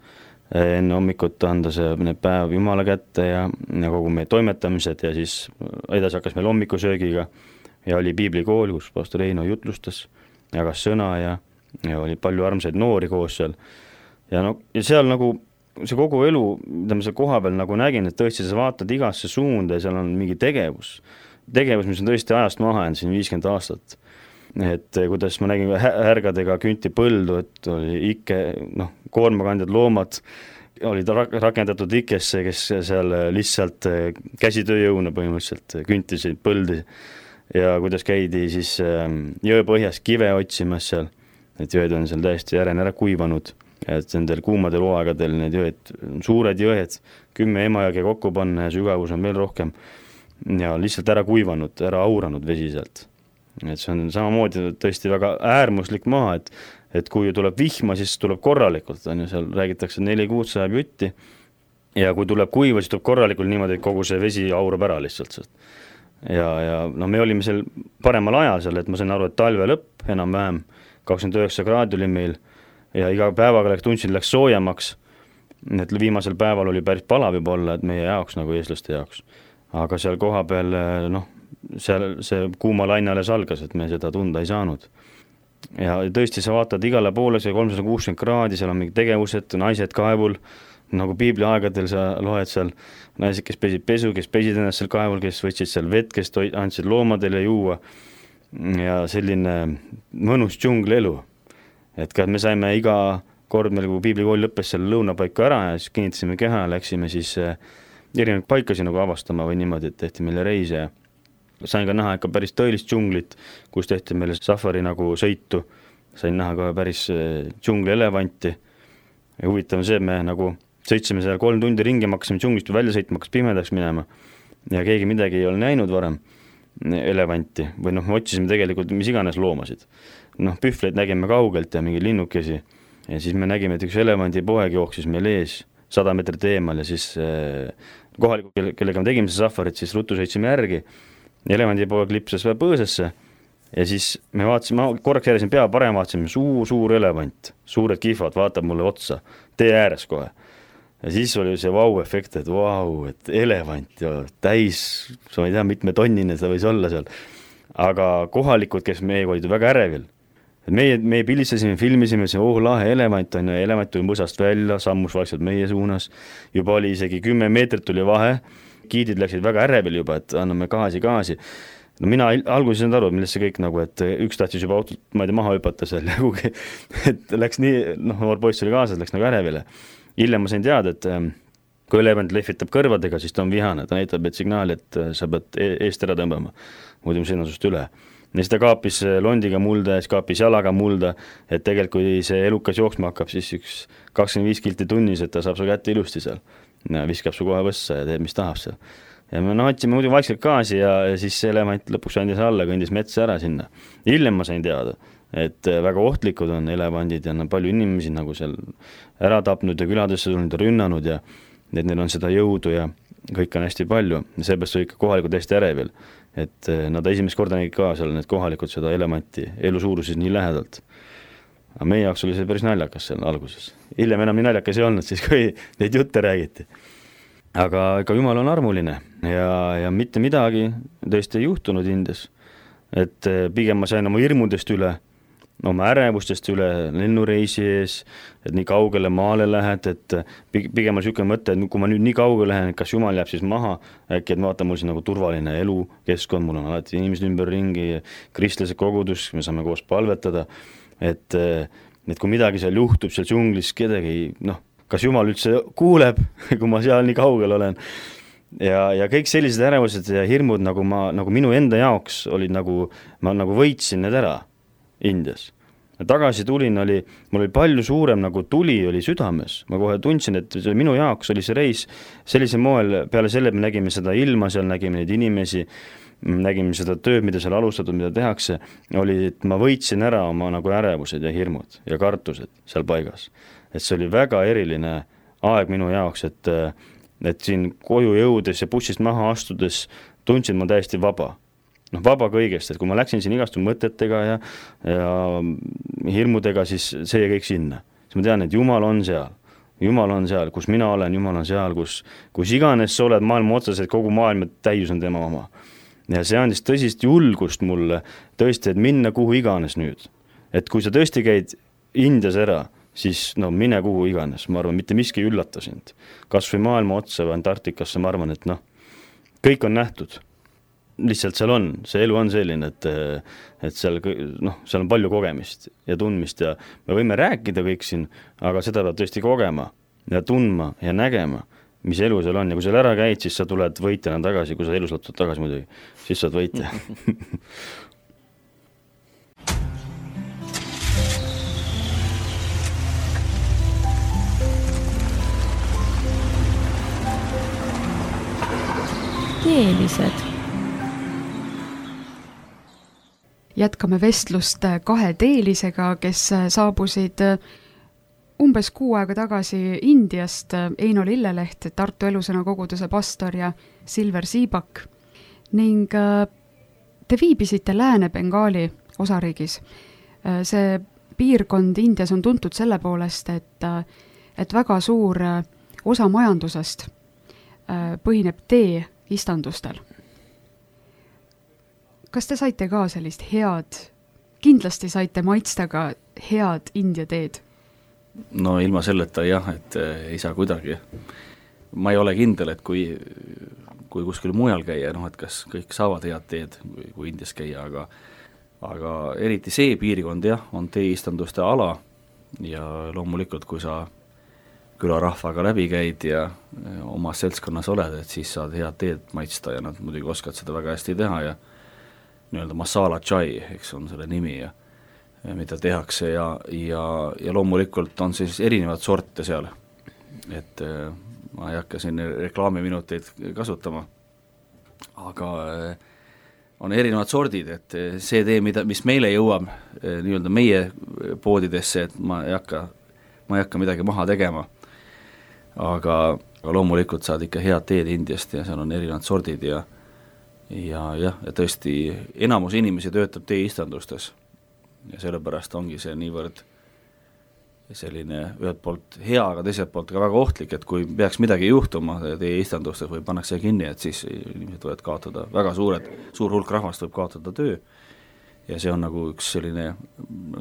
enne hommikut anda see päev Jumala kätte ja kogu meie toimetamised ja siis edasi hakkas meil hommikusöögiga ja oli piiblikool, kus pastor Heino jutlustas, jagas sõna ja oli palju armsaid noori koos seal. Ja seal nagu see kogu elu, mida ma seal koha peal nagu nägin, et tõesti sa vaatad igasse suunda ja seal on mingi tegevus, mis on tõesti ajast maha jäänud siin 50 aastat. Et kuidas ma nägin härgadega künti põldu, et oli ikke, koormakandjad loomad olid rakendatud ikkesse, kes seal lihtsalt käsitööjõuna põhimõtteliselt küntisid põldi ja kuidas käidi siis jõepõhjas kive otsimas seal, et jõed on seal täiesti järene ära kuivanud, et nendel kuumadel hooaegadel need jõed, suured jõed, 10 emajõge kokku panna ja sügavus on veel rohkem ja lihtsalt ära kuivanud, ära auranud vesi sealt. Et see on samamoodi tõesti väga äärmuslik maa, et kui tuleb vihma, siis tuleb korralikult, on ju, seal räägitakse 4 kuud sajab jutti ja kui tuleb kuiva, siis tuleb korralikult niimoodi, et kogu see vesi aurab ära lihtsalt. Ja me olime seal paremal ajal seal, et ma sain aru, et talve lõpp enam-vähem 29 kraadi oli meil ja iga päevaga tundsin, läks soojemaks, et viimasel päeval oli päris palav juba olla, et meie jaoks nagu eestlaste jaoks, aga seal koha peal seal see kuuma laine alles algas, et me seda tunda ei saanud. Ja tõesti, sa vaatad igale poole, see 360 kraadi, seal on mingi tegevused, naised kaevul, nagu piibli aegadel sa loed seal, naised, kes pesid pesu, kes pesid ennast seal kaevul, kes võtsid seal vett, kes andsid loomadele juua ja selline mõnus džunglielu. Et ka me saime iga kord meil, kui piiblikool lõppes seal lõunapaiku ära ja siis kinnitasime keha ja läksime siis erinevaid paikasi nagu avastama või niimoodi, et tehti meile reise ja sain ka näha ikka päris tõelist džunglit, kus tehti meile safari nagu sõitu. Sain näha ka päris džungli elevanti. Ja huvitav see, me nagu sõitsime seal 3 tundi ringi, maksime džunglist välja sõitma, hakkas pimedaks minema. Ja keegi midagi ei ole näinud varem elevanti. Või me otsisime tegelikult mis iganes loomasid. Pühvleid nägime kaugelt ja mingi linnukesi. Ja siis me nägime, et üks elevandi poeg jooksis meil ees 100 meetrit eemal ja siis kohaliku, kellega me tegime see safarit, siis ruttu sõitsime järgi. Elevandi poeg lipsas põõsesse ja siis me vaatasime, korraks järjesin pea parem, vaatasime suur elevant, suured kihvad, vaatab mulle otsa, tee ääres kohe. Ja siis oli see vau-efekt, et et elevant ja täis, sa ei tea, mitme tonnine seda võis olla seal. Aga kohalikud, kes meiega olid väga ärevil, et meie pilistasime, filmisime, lahe elevant on ja elevant tuli mõsast välja, sammus vaikselt meie suunas, juba oli isegi 10 meetrit tuli vahe, kiidid läksid väga ärevil juba, et anname gaasi. Mina alguses ei aru, millest see kõik nagu, et üks tahtis juba autot, ma ei tea, maha hüpata seal, et läks nii, noor poiss oli kaasas, läks nagu ärevile. Hiljem ma sain teada, et kui elevant lehvitab kõrvadega, siis ta on vihane, ta näitab signaali, et sa pead eest ära tõmbama, muidu sõina sust üle. Ja siis ta kaapis londiga mulda ja siis kaapis jalaga mulda, et tegelikult kui see elukas jooksma hakkab, siis üks 25 kilti tunnis, et ta saab su kätte ilusti seal. Ja viskab su kohe võssa ja teeb, mis tahab seal. Ja me otsime muidu vaikselt gaasi ja siis see elevant lõpuks andis alla, kõndis metsa ära sinna. Hiljem ma sain teada, et väga ohtlikud on elevandid ja palju inimesi nagu seal ära tapnud ja küladesse tulnud ja rünnanud ja et neil on seda jõudu ja kõik on hästi palju. Seepärast oli ikka kohalikud hästi ärevil, et nad esimest korda nägid ka seal need kohalikud seda elevanti elu suuruses nii lähedalt. Aga meie jaoks oli see päris naljakas seal alguses. Hiljem enam nii naljakas ei olnud, siis kui neid jutte räägiti. Aga ikka Jumal on armuline ja mitte midagi tõesti ei juhtunud Indias. Et pigem ma sain oma hirmudest üle, oma ärevustest üle lennureisi ees, et nii kaugele maale lähed, et pigem on niisugune mõte, et kui ma nüüd nii kaugele lähen, kas Jumal jääb siis maha, äkki et vaata mul siin nagu turvaline elu, keskkond, mul on alati inimesed ümber ringi, kristlased kogudus, me saame koos palvetada. Et kui midagi seal juhtub, seal džunglis kedagi, kas Jumal üldse kuuleb, kui ma seal nii kaugel olen. Ja kõik sellised ärevused ja hirmud, nagu minu enda jaoks olid ma võitsin need ära Indias. tagasi tulin, mul oli palju suurem nagu tuli oli südames, ma kohe tundsin, et minu jaoks oli see reis sellisel moel, peale selle me nägime seda ilma, seal nägime neid inimesi, nägime seda tööd, mida seal alustatud, mida tehakse, oli, et ma võitsin ära oma nagu ärevused ja hirmud ja kartused seal paigas. Et see oli väga eriline aeg minu jaoks, et siin koju jõudes ja bussist maha astudes tundsin ma täiesti vaba. Vaba kõigest, et kui ma läksin siin igastu mõtetega ja hirmudega, siis see jäi kõik sinna. Siis ma tean, et Jumal on seal, kus mina olen, Jumal on seal, kus iganes sa oled maailma otsas, et kogu maailma täius on tema oma. Ja see andis tõsist julgust mulle tõesti, et minna kuhu iganes nüüd. Et kui sa tõesti käid Indias ära, siis mine kuhu iganes, ma arvan, mitte miski üllata sind. Kas või maailma otsa või Antarktikasse, ma arvan, et kõik on nähtud. Lihtsalt seal on, see elu on selline, et seal on palju kogemist ja tundmist ja me võime rääkida kõik siin, aga seda peab tõesti kogema ja tundma ja nägema, mis elu seal on ja kui seal ära käid, siis sa tuled võitjana tagasi, kui sa elus lõtud tagasi muidugi, siis sa oled võitja. Teelised. Jätkame vestlust 2 teelisega, kes saabusid umbes 6 aega tagasi Indiast, Eino Lilleleht, Tartu Elusõna koguduse pastor ja Silver Siibak. Ning te viibisite Lääne-Bengaali osariigis. See piirkond Indias on tuntud selle poolest, et väga suur osa majandusest põhineb tee istandustel. Kas te saite ka sellist kindlasti saite maitsta ka head India teed? No ilma selleta jah, et ei saa kuidagi. Ma ei ole kindel, et kui kuskil mujal käia, et kas kõik saavad head teed, kui Indias käia, aga eriti see piirkond jah, on teeistanduste ala ja loomulikult, kui sa külarahvaga läbi käid ja oma seltskonnas oled, et siis saad head teed maitsta ja nad muidugi oskad seda väga hästi teha ja nii-öelda masala chai, eks on selle nimi ja mida tehakse ja loomulikult on siis erinevad sorte seal, et ma ei hakka siin reklaamiminuteid kasutama, aga on erinevad sordid, et see tee, mis meile jõuab nii-öelda meie poodidesse, et ma ei hakka midagi maha tegema, aga loomulikult saad ikka head teed Indiast ja seal on erinevad sordid ja tõesti enamus inimesi töötab teeistandustes ja sellepärast ongi see niivõrd selline ühelt poolt hea, aga teiselt poolt ka väga ohtlik, et kui peaks midagi juhtuma teeistandustes või pannakse kinni, et siis inimesed võivad kaotada, väga suur hulk rahvast võib kaotada töö ja see on nagu üks selline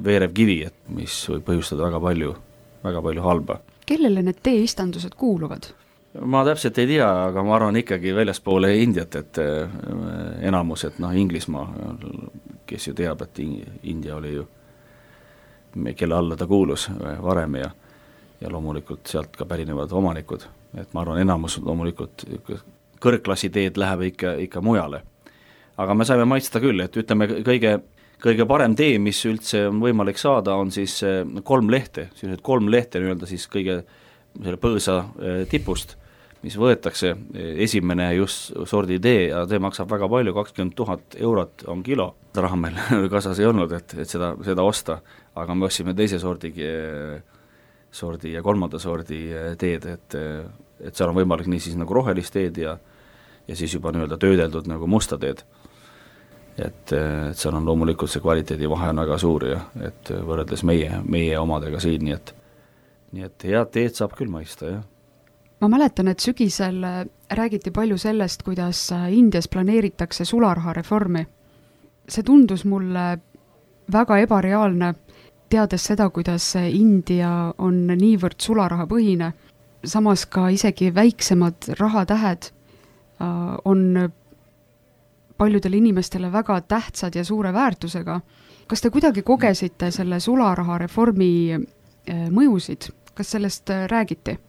veerev kivi, et mis võib põhjustada väga palju halba. Kellele need teeistandused kuuluvad? Ma täpselt ei tea, aga ma arvan ikkagi väljaspoole Indiat, et enamus, et Inglismaa, kes ju teab, et India oli ju, kelle alla ta kuulus varem ja loomulikult sealt ka pärinevad omanikud, et ma arvan, enamus loomulikult kõrgklassi teed läheb ikka mujale. Aga me saime maitsta küll, et ütleme kõige parem tee, mis üldse on võimalik saada, on siis 3 lehte, sellised 3 lehte nii-öelda siis kõige selle põõsa tipust, mis võetakse esimene just sordi tee ja tee maksab väga palju, 20 000 eurot on kilo. Raha meil kasas ei olnud, et seda osta, aga me ostsime teise sordi ja 3. sordi teed, et seal on võimalik nii siis nagu rohelist teed ja siis juba nii-öelda töödeldud nagu musta teed. Et seal on loomulikult see kvaliteedivahe on väga suur ja et võrreldes meie omadega siin, nii et head teed saab küll maista, jah. Ma mäletan, et sügisel räägiti palju sellest, kuidas Indias planeeritakse sularahareformi. See tundus mulle väga ebareaalne, teades seda, kuidas India on niivõrd sularahapõhine. Samas ka isegi väiksemad rahatähed on paljudele inimestele väga tähtsad ja suure väärtusega. Kas te kuidagi kogesite selle sularahareformi mõjusid? Kas sellest räägiti?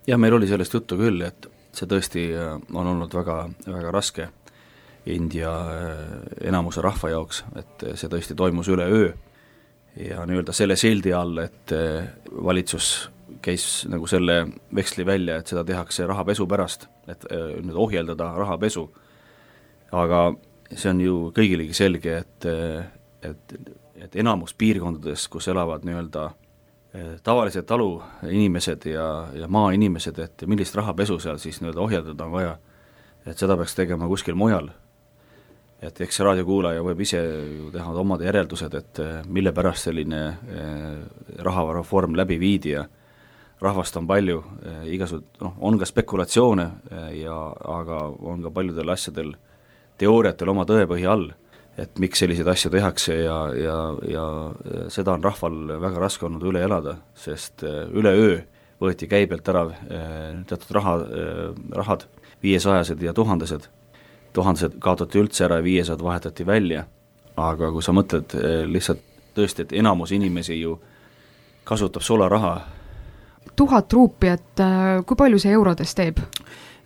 Ja meil oli sellest juttu küll, et see tõesti on olnud väga, väga raske India enamuse rahva jaoks, et see tõesti toimus üle öö ja nii-öelda selle sildi all, et valitsus käis nagu selle veksli välja, et seda tehakse rahapesu pärast, et nüüd ohjeldada rahapesu. Aga see on ju kõigilegi selge, et enamus piirkondades, kus elavad nii-öelda tavalised talu inimesed ja maainimesed, et millist rahapesu seal siis nii-öelda ohjeldada on vaja, et seda peaks tegema kuskil mujal. Et eks raadiokuulaja võib ise ju teha omad järeldused, et mille pärast selline rahareform läbi viidi ja rahvast on palju, on ka spekulatsioone, aga on ka paljudel asjadel, teooriatel oma tõepõhi all, et miks selliseid asju tehakse ja seda on rahval väga raske olnud üle elada, sest üleöö võeti käibelt ära teatud rahad, 500 ja 1000, 1000 kaotati üldse ära ja 500 vahetati välja, aga kui sa mõtled lihtsalt tõesti, et enamus inimesi ju kasutab sularaha. 1000 ruupi, et kui palju see eurodes teeb?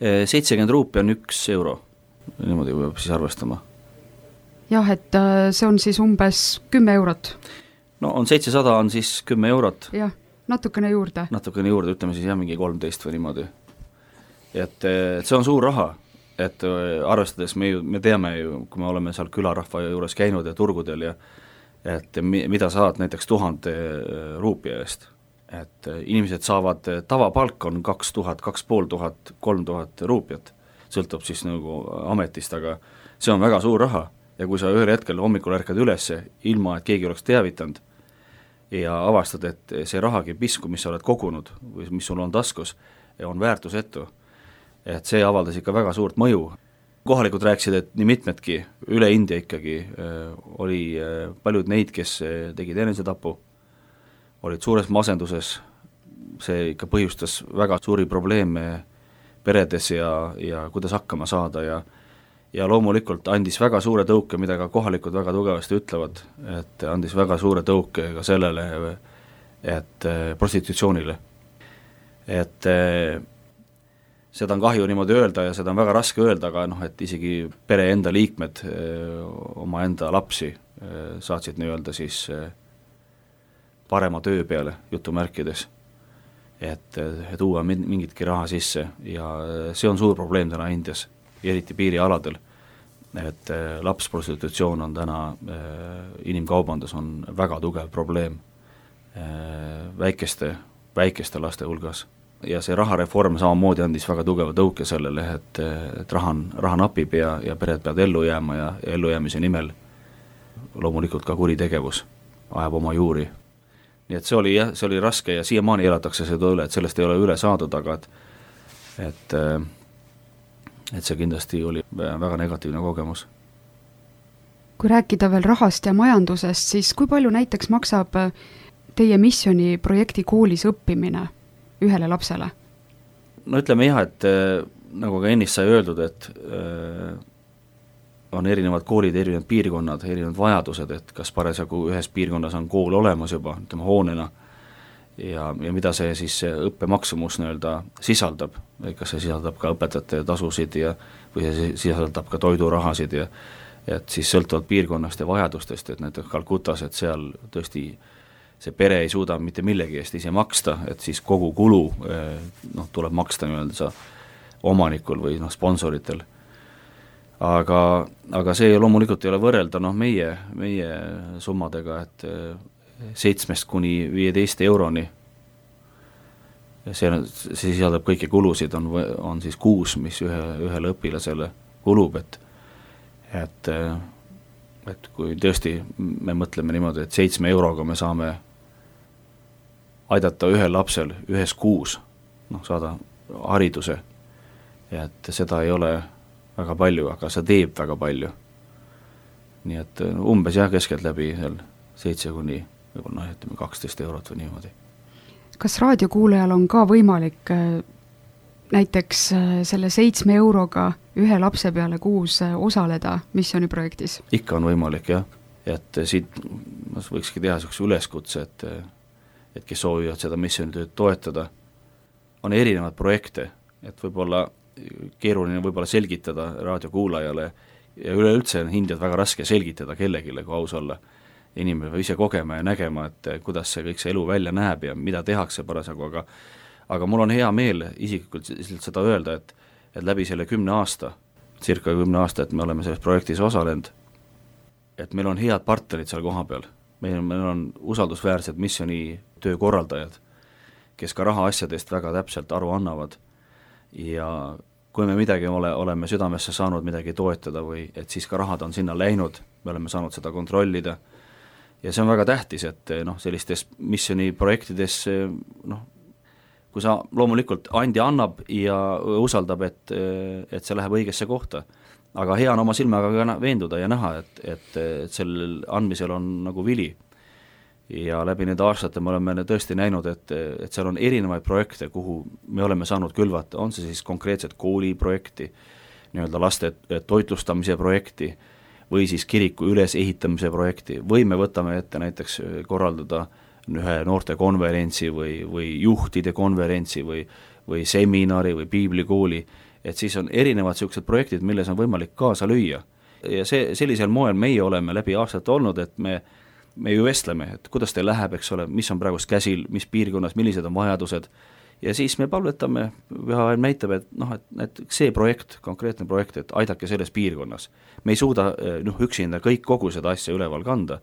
70 ruupi on 1 euro, niimoodi peab siis arvestama. Jah, et see on siis umbes 10 eurot. No on 700 on siis 10 eurot. Jah, natukene juurde. Natukene juurde, ütleme siis mingi 13 või niimoodi. Et see on suur raha, et arvestades me teame ju, kui me oleme seal külarahva juures käinud ja turgudel ja et mida saad näiteks 1000 ruupi eest. Et inimesed saavad, tavapalk on 2000, 2500, 3000 ruupiat, sõltub siis nagu ametist, aga see on väga suur raha ja kui sa ühel hetkel hommikul ärkad ülesse, ilma et keegi oleks teavitanud ja avastad, et see rahagi pisku, mis sa oled kogunud või mis sul on taskus, on väärtusetu, et see avaldas ikka väga suurt mõju. Kohalikud rääkisid, et nii mitmedki üle India ikkagi oli paljud neid, kes tegid enesetapu, olid suures masenduses, see ikka põhjustas väga suuri probleeme peredes ja kuidas hakkama saada ja loomulikult andis väga suure tõuke, mida ka kohalikud väga tugevasti ütlevad, et andis väga suure tõuke ka sellele, et prostitutsioonile. Et seda on kahju niimoodi öelda ja seda on väga raske öelda, aga et isegi pere enda liikmed oma enda lapsi saatsid nii-öelda siis parema töö peale, jutumärkides, et tuua mingitki raha sisse ja see on suur probleem täna Indias, eriti piirialadel, et lapsprostitutsioon on täna, inimkaubandus on väga tugev probleem väikeste laste hulgas ja see rahareform samamoodi andis väga tugeva tõuke sellele, et raha napib ja pered peavad ellu jääma ja ellujäämise nimel loomulikult ka kuritegevus ajab oma juuri. Nii et see oli raske ja siiamaani elatakse seda üle, et sellest ei ole üle saadud, aga et see kindlasti oli väga negatiivne kogemus. Kui rääkida veel rahast ja majandusest, siis kui palju näiteks maksab teie missiooni projekti koolis õppimine ühele lapsele? No ütleme jah, et nagu ka ennist sai öeldud, et on erinevad koolid, erinevad piirkonnad, erinevad vajadused, et kas parasjagu ühes piirkonnas on kool olemas juba, ütleme hoonena, ja mida see siis õppemaksumus nii-öelda sisaldab, kas see sisaldab ka õpetajate tasusid või see sisaldab ka toidurahasid ja et siis sõltuvalt piirkonnast ja vajadustest, et näiteks Calcutas, et seal tõesti see pere ei suuda mitte millegi eest ise maksta, et siis kogu kulu tuleb maksta nii-öelda omanikul või sponsoritel. Aga see loomulikult ei ole võrrelda meie summadega, et 7 kuni 15 euroni, see sisaldab kõiki kulusid, on siis kuus, mis ühele õpilasele kulub, et kui tõesti me mõtleme niimoodi, et 7 euroga me saame aidata ühel lapsel ühes kuus saada hariduse, et seda ei ole väga palju, aga see teeb väga palju. Nii et umbes keskelt läbi 7 kuni võib-olla 12 eurot või niimoodi. Kas raadiokuulajal on ka võimalik näiteks selle 7 euroga ühe lapse peale kuus osaleda missiooniprojektis? Ikka on võimalik, jah. Et siit võikski teha sellise üleskutse, et kes soovivad seda missioonitööd toetada, on erinevad projekte, et võib-olla keeruline võib-olla selgitada raadiokuulajale ja üleüldse on Indiat väga raske selgitada kellegile, kui aus olla, inimene peab ise kogema ja nägema, et kuidas see kõik see elu välja näeb ja mida tehakse parasjagu, aga mul on hea meel isiklikult seda öelda, et läbi selle 10 aasta, circa 10 aasta, et me oleme selles projektis osalenud, et meil on head partnerid seal koha peal, meil on usaldusväärsed missiooni töökorraldajad, kes ka rahaasjadest väga täpselt aru annavad ja kui me midagi oleme südamesse saanud midagi toetada või et siis ka rahad on sinna läinud, me oleme saanud seda kontrollida ja see on väga tähtis, et sellistes missiooni projektides kui sa loomulikult andja annab ja usaldab, et see läheb õigesse kohta, aga hea on oma silmaga ka veenduda ja näha, et sellel andmisel on nagu vili ja läbi nende aastate me oleme tõesti näinud, et seal on erinevaid projekte, kuhu me oleme saanud külvata, on see siis konkreetselt kooliprojekti, nii-öelda laste toitlustamise projekti või siis kiriku ülesehitamise projekti või me võtame ette näiteks korraldada ühe noortekonverentsi või juhtide konverentsi või seminari või piiblikooli, et siis on erinevad niisugused projektid, milles on võimalik kaasa lüüa. Ja sellisel moel meie oleme läbi aastate olnud, et me ju vestleme, et kuidas teil läheb, eks ole, mis on praegust käsil, mis piirkonnas, millised on vajadused ja siis me palvetame, üha näitab, et see projekt, konkreetne projekt, et aidake selles piirkonnas. Me ei suuda üksinda kogu seda asja üleval kanda,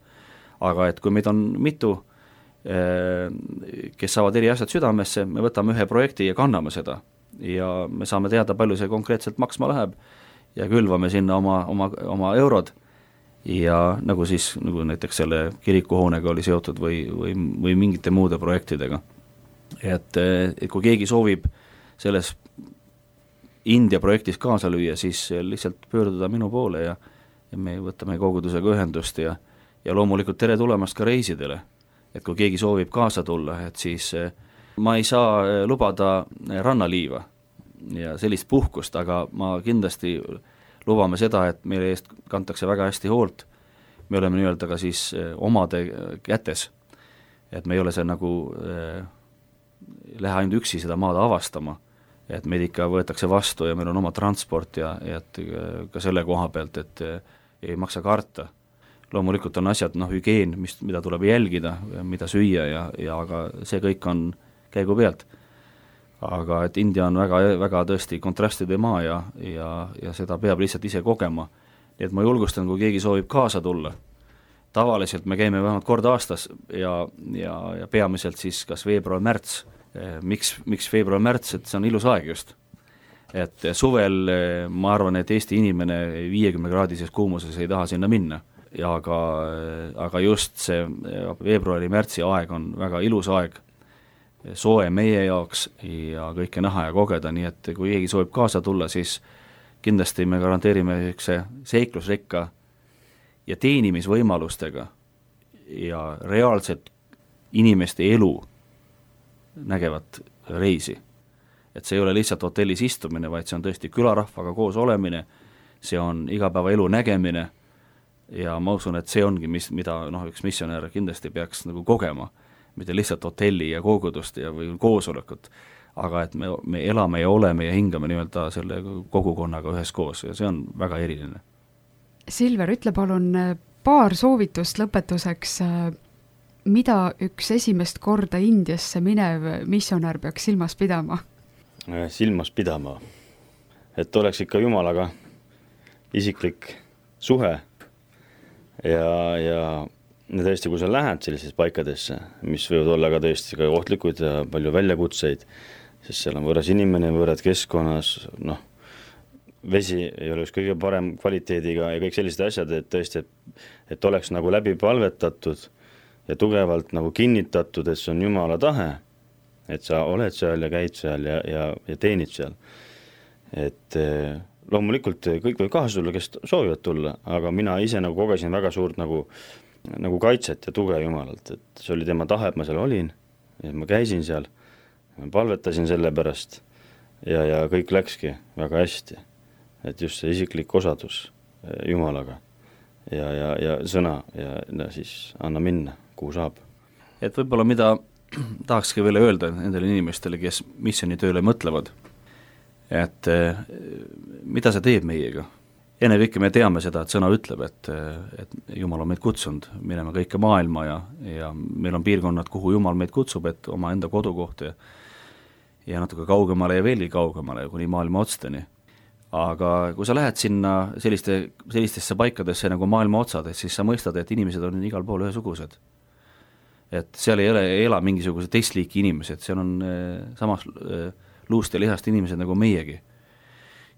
aga et kui meid on mitu, kes saavad eri asjad südamesse, me võtame ühe projekti ja kanname seda ja me saame teada, palju see konkreetselt maksma läheb ja külvame sinna oma eurod ja nagu näiteks selle kirikuhoonega oli seotud või mingite muude projektidega. Et kui keegi soovib selles India projektis kaasa lüüa, siis lihtsalt pöörduda minu poole ja me võtame kogudusega ühendust ja loomulikult tere tulemast ka reisidele. Et kui keegi soovib kaasa tulla, et siis ma ei saa lubada rannaliiva ja sellist puhkust, aga ma kindlasti lubame seda, et meie eest kantakse väga hästi hoolt, me oleme nii-öelda ka siis omade kätes, et me ei ole see nagu lähe ainult üksi seda maad avastama, et meid ikka võetakse vastu ja meil on oma transport ja et ka selle koha pealt, et ei maksa karta. Loomulikult on asjad, hügieen, mida tuleb jälgida, mida süüa ja aga see kõik on käigu pealt. Aga et India on väga, väga tõesti kontrastide maa ja seda peab lihtsalt ise kogema. Nii et ma julgustan, kui keegi soovib kaasa tulla. Tavaliselt me käime vähemalt kord aastas ja peamiselt siis kas veebruar-märts. Miks veebruar-märts, et see on ilus aeg just. Et suvel ma arvan, et Eesti inimene 50-kraadises kuumuses ei taha sinna minna. Ja aga just see veebruari-märtsi aeg on väga ilus aeg, soe meie jaoks ja kõike näha ja kogeda, nii et kui keegi soovib kaasa tulla, siis kindlasti me garanteerime seiklusrikka ja teenimisvõimalustega ja reaalselt inimeste elu nägevat reisi. Et see ei ole lihtsalt hotellis istumine, vaid see on tõesti külarahvaga koos olemine, see on igapäeva elu nägemine ja ma usun, et see ongi, mida üks missionär kindlasti peaks nagu kogema, mitte lihtsalt hotelli ja kogudust või koosolekut, aga et me elame ja oleme ja hingame nii-öelda selle kogukonnaga üheskoos ja see on väga eriline. Silver, ütle palun paar soovitust lõpetuseks, mida üks esimest korda Indiasse minev missionär peaks silmas pidama? Silmas pidama, et oleks ikka Jumalaga isiklik suhe ja tõesti, kui sa lähed sellisesse paikadesse, mis võivad olla ka tõesti ka ohtlikud ja palju väljakutseid, sest seal on võõras inimene, võõrad keskkonnas, vesi ei ole üks kõige parem kvaliteediga ja kõik sellised asjad, et tõesti, et oleks nagu läbi palvetatud ja tugevalt nagu kinnitatud, et see on Jumala tahe, et sa oled seal ja käid seal ja teenid seal. Et loomulikult kõik võib kaasa tulla, kes soovivad tulla, aga mina ise nagu kogesin väga suurt nagu kaitset ja tuge Jumalalt, et see oli tema tahe, et ma seal olin ja ma käisin seal, ma palvetasin selle pärast ja kõik läkski väga hästi, et just see isiklik osadus Jumalaga ja sõna ja siis anna minna, kuhu saab. Et võib-olla mida tahakski veel öelda nendele inimestele, kes missionitööle mõtlevad, et mida see teeb meiega, ennekõike me teame seda, et sõna ütleb, et Jumal on meid kutsunud minema kõike maailma ja meil on piirkonnad, kuhu Jumal meid kutsub, et oma enda kodukoht ja natuke kaugemale ja veelgi kaugemale, kuni maailma otsteni. Aga kui sa lähed sinna sellistesse paikadesse nagu maailma otsad, siis sa mõistad, et inimesed on igal pool ühesugused. Et seal ei ela mingisugused teist liiki inimesed, seal on samas luust ja lihast inimesed nagu meiegi.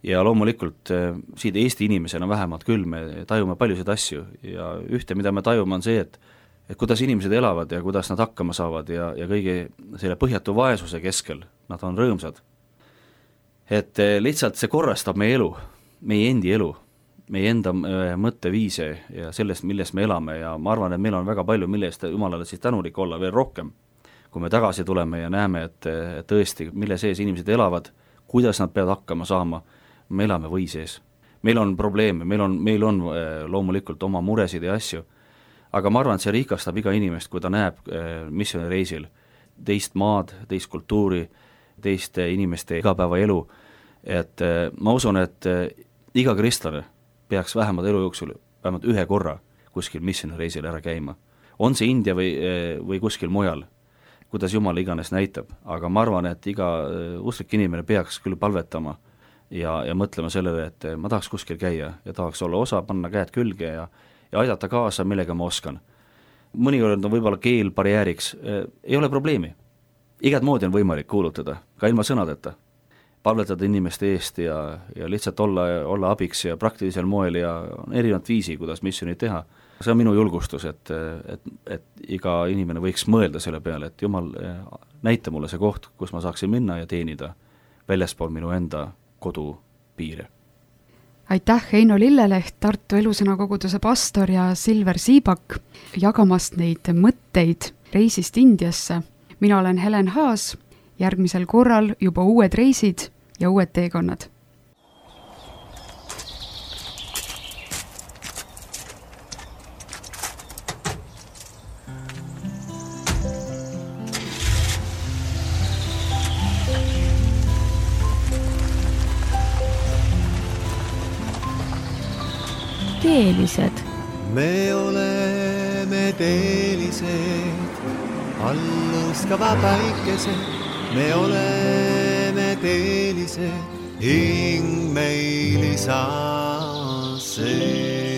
Ja loomulikult siit Eesti inimesena vähemalt küll me tajume paljusid asju ja ühte, mida me tajume, on see, et kuidas inimesed elavad ja kuidas nad hakkama saavad ja kõige selle põhjatu vaesuse keskel nad on rõõmsad. Et lihtsalt see korrastab meie elu, meie endi elu, meie enda mõtteviise ja sellest, millest me elame ja ma arvan, et meil on väga palju, millest Jumalale siis tänulik olla veel rohkem, kui me tagasi tuleme ja näeme, et tõesti, mille sees inimesed elavad, kuidas nad peavad hakkama saama, me elame või sees. Meil on probleeme, meil on loomulikult oma muresid ja asju, aga ma arvan, et see rikastab iga inimest, kui ta näeb missioonireisil teist maad, teist kultuuri, teiste inimeste igapäevaelu, et ma usun, et iga kristlane peaks vähemalt elu jooksul vähemalt ühe korra kuskil missioonireisil ära käima. On see India või kuskil mujal, kuidas Jumal iganes näitab, aga ma arvan, et iga usklik inimene peaks küll palvetama ja mõtlema sellele, et ma tahaks kuskil käia ja tahaks olla osa, panna käed külge ja aidata kaasa, millega ma oskan. Mõnikord on võib-olla keel barjääriks, ei ole probleemi. Igat moodi on võimalik kuulutada, ka ilma sõnadeta. Palvetada inimeste eest ja lihtsalt olla abiks ja praktilisel moel ja on erinevad viisi, kuidas missioonid teha. See on minu julgustus, et iga inimene võiks mõelda selle peale, et Jumal näita mulle see koht, kus ma saaksin minna ja teenida väljaspool minu enda kodupiire. Aitäh, Heino Lilleleht, Tartu Elusõna koguduse pastor ja Silver Siibak jagamast neid mõtteid reisist Indiasse. Mina olen Helen Haas, järgmisel korral juba uued reisid ja uued teekonnad. Teelised. Me oleme teelised, alluskava päikesed, me oleme teelised, hing meil isa see.